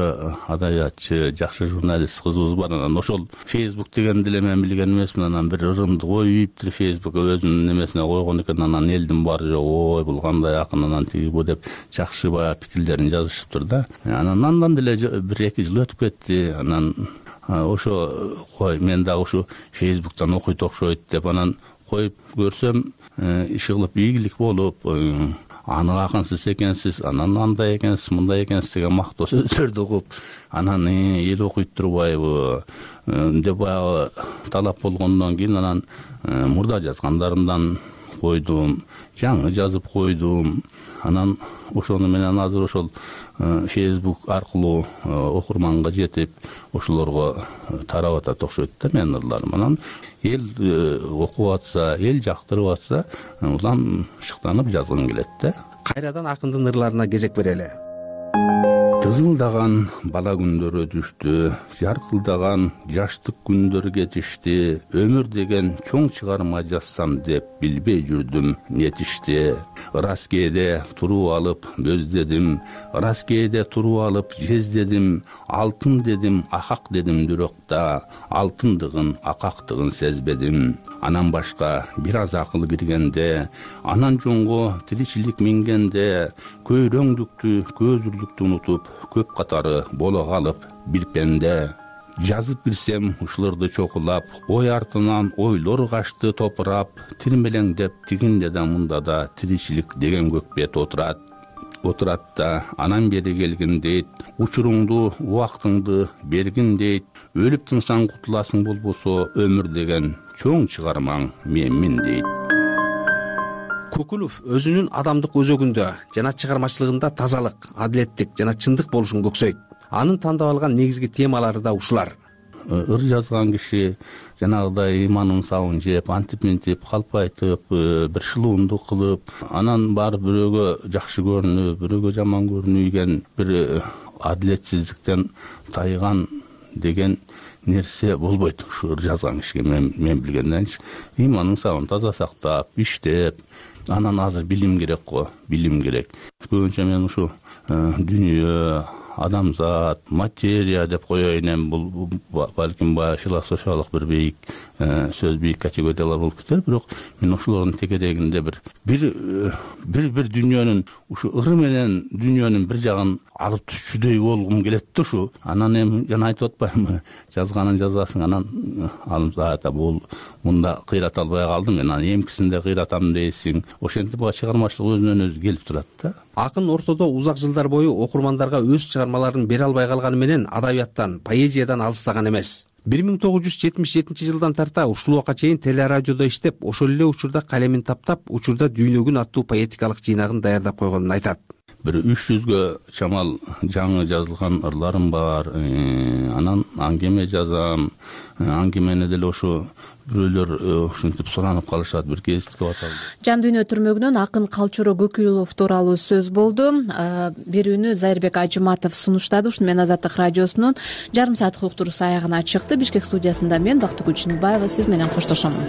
адабиятчы, жакшы журналист кызыбыз бар. Анан ошол Facebook дегенди эле мен билген эмесмин. Анан бир ырымды коюптур Facebook өзүнүн немесине койгон экен. Анан элдин баары ой бул кандай акын, анан тиги бу деп жакшы баягы пикирлерин жазышыптыр да. Анан андан деле 1-2 жыл өтүп кетти. Анан ошо кой мен дагы ушу Facebooктан окуйт окшойт деп анан коюп көрсөм, иши кылып ийгилик болуп, аны акынсыз экенсиз, анан андай экенсиз, мындай экенсиз деген мактоо сөздөрдү угуп, анан эл окуйт турбайбы деп баягы талап болгондон кийин анан мурда жазгандарымдан койдум, жаңы жазып койдум. Анан ошону менен азыр ошол Facebook аркылуу окурманга жетип, ошолорго тарап атат окшойт да менин ырларым. Анан эл окуп атса, эл жактырып атса, улам шыктанып жазгым келет да. Кайрадан акындын ырларына кезек берели. Тызылдаган бала күндөр өтүштү, жаркылдаган жаштык күндөр кетишти, өмүр деген чоң чыгарма жазсам деп билбей жүрдүм нетишти. Ырас кээде туруп алып көздедим, ырас кээде туруп алып жездедим, алтын дедим, акак дедим бирокта, алтындыгын, акактыгын сезбедим. Анан башка бир аз акыл киргенде, анан жоңго тиричилик мингенде, көйрөңдүктү, көзүрлүктү унутуп, көп катары боло калып бир пенде. Жазып кирсем ушуларды чокулап, ой артынан ойлор качты топурап, тирмелеңдеп тигинде да мында да тиричилик деген көк бет отурат да, анан бери келгин дейт, учуруңду, убактыңды бергин дейт, өлүп тынсаң кутуласың болбосо, өмүр деген чоң чыгармаң менмин дейт. Көкүлов өзүнүн адамдык өзөгүндө жана чыгармачылыгында тазалык, адилеттик жана чындык болушун көксөйт. Анын тандап алган негизги темалары да ушулар. ыр жазган киши жанагыдай иманын сабын жеп, антип мынтип калп айтып, бир шылуундук кылып, анан барып бирөөгө жакшы көрүнүп, бирөөгө жаман көрүнүп бир адилетсиздиктен тайган деген нерсе болбойт ушу ыр жазган кишиге. Мен билгенденчи иманын сабын таза сактап, иштеп, анан азыр билим керек го, билим керек. Көбүнчө мен ушу дүнүйө, адамзат, материя деп коеюн, эми бул балким баягы философиялык бир бийик сөз, бийик категориялар болуп кетер, бирок мен ошолордун тегерегинде бир дүйнөнүн, ушу ыры менен дүйнөнүн бир жагын алып түшчүдөй болгум келет да ушу. Анан эми жана айтып атпаймынбы, жазганын жазасың, анан алып бул мында кыйрата албай калдым, мен анан эмкисинде кыйратам дейсиң. Ошентип баягы чыгармачылык өзүнөн өзү келип турат да. Акын ортодо узак жылдар бою окурмандарга өз чыгармаларын бере албай калганы менен адабияттан, поэзиядан алыстаган эмес. 1977 тарта ушул чейин телерадиодо иштеп, ошол эле учурда калемин таптап, учурда Дүйнөгүн аттуу поэтикалык жыйнагын даярдап койгонун айтат. Бир 300гө чамал жаңы жазылган ырларым бар. Анан аңгеме жазам. Аңгемени деле ошо бирөөлөр ушинтип суранып калышат, бир кезиктип аталды. Жан дүйнө түрмөгүнөн акын Калчоро Көкүлов тууралуу сөз болду. Берүүнү Зайырбек Ажыматов сунуштады. Ушуну менен Азаттык радиосунун жарым сааттык уктуруусу аягына чыкты. Бишкек студиясында мен Бактыгүл Чыныбаева сиз менен коштошомун.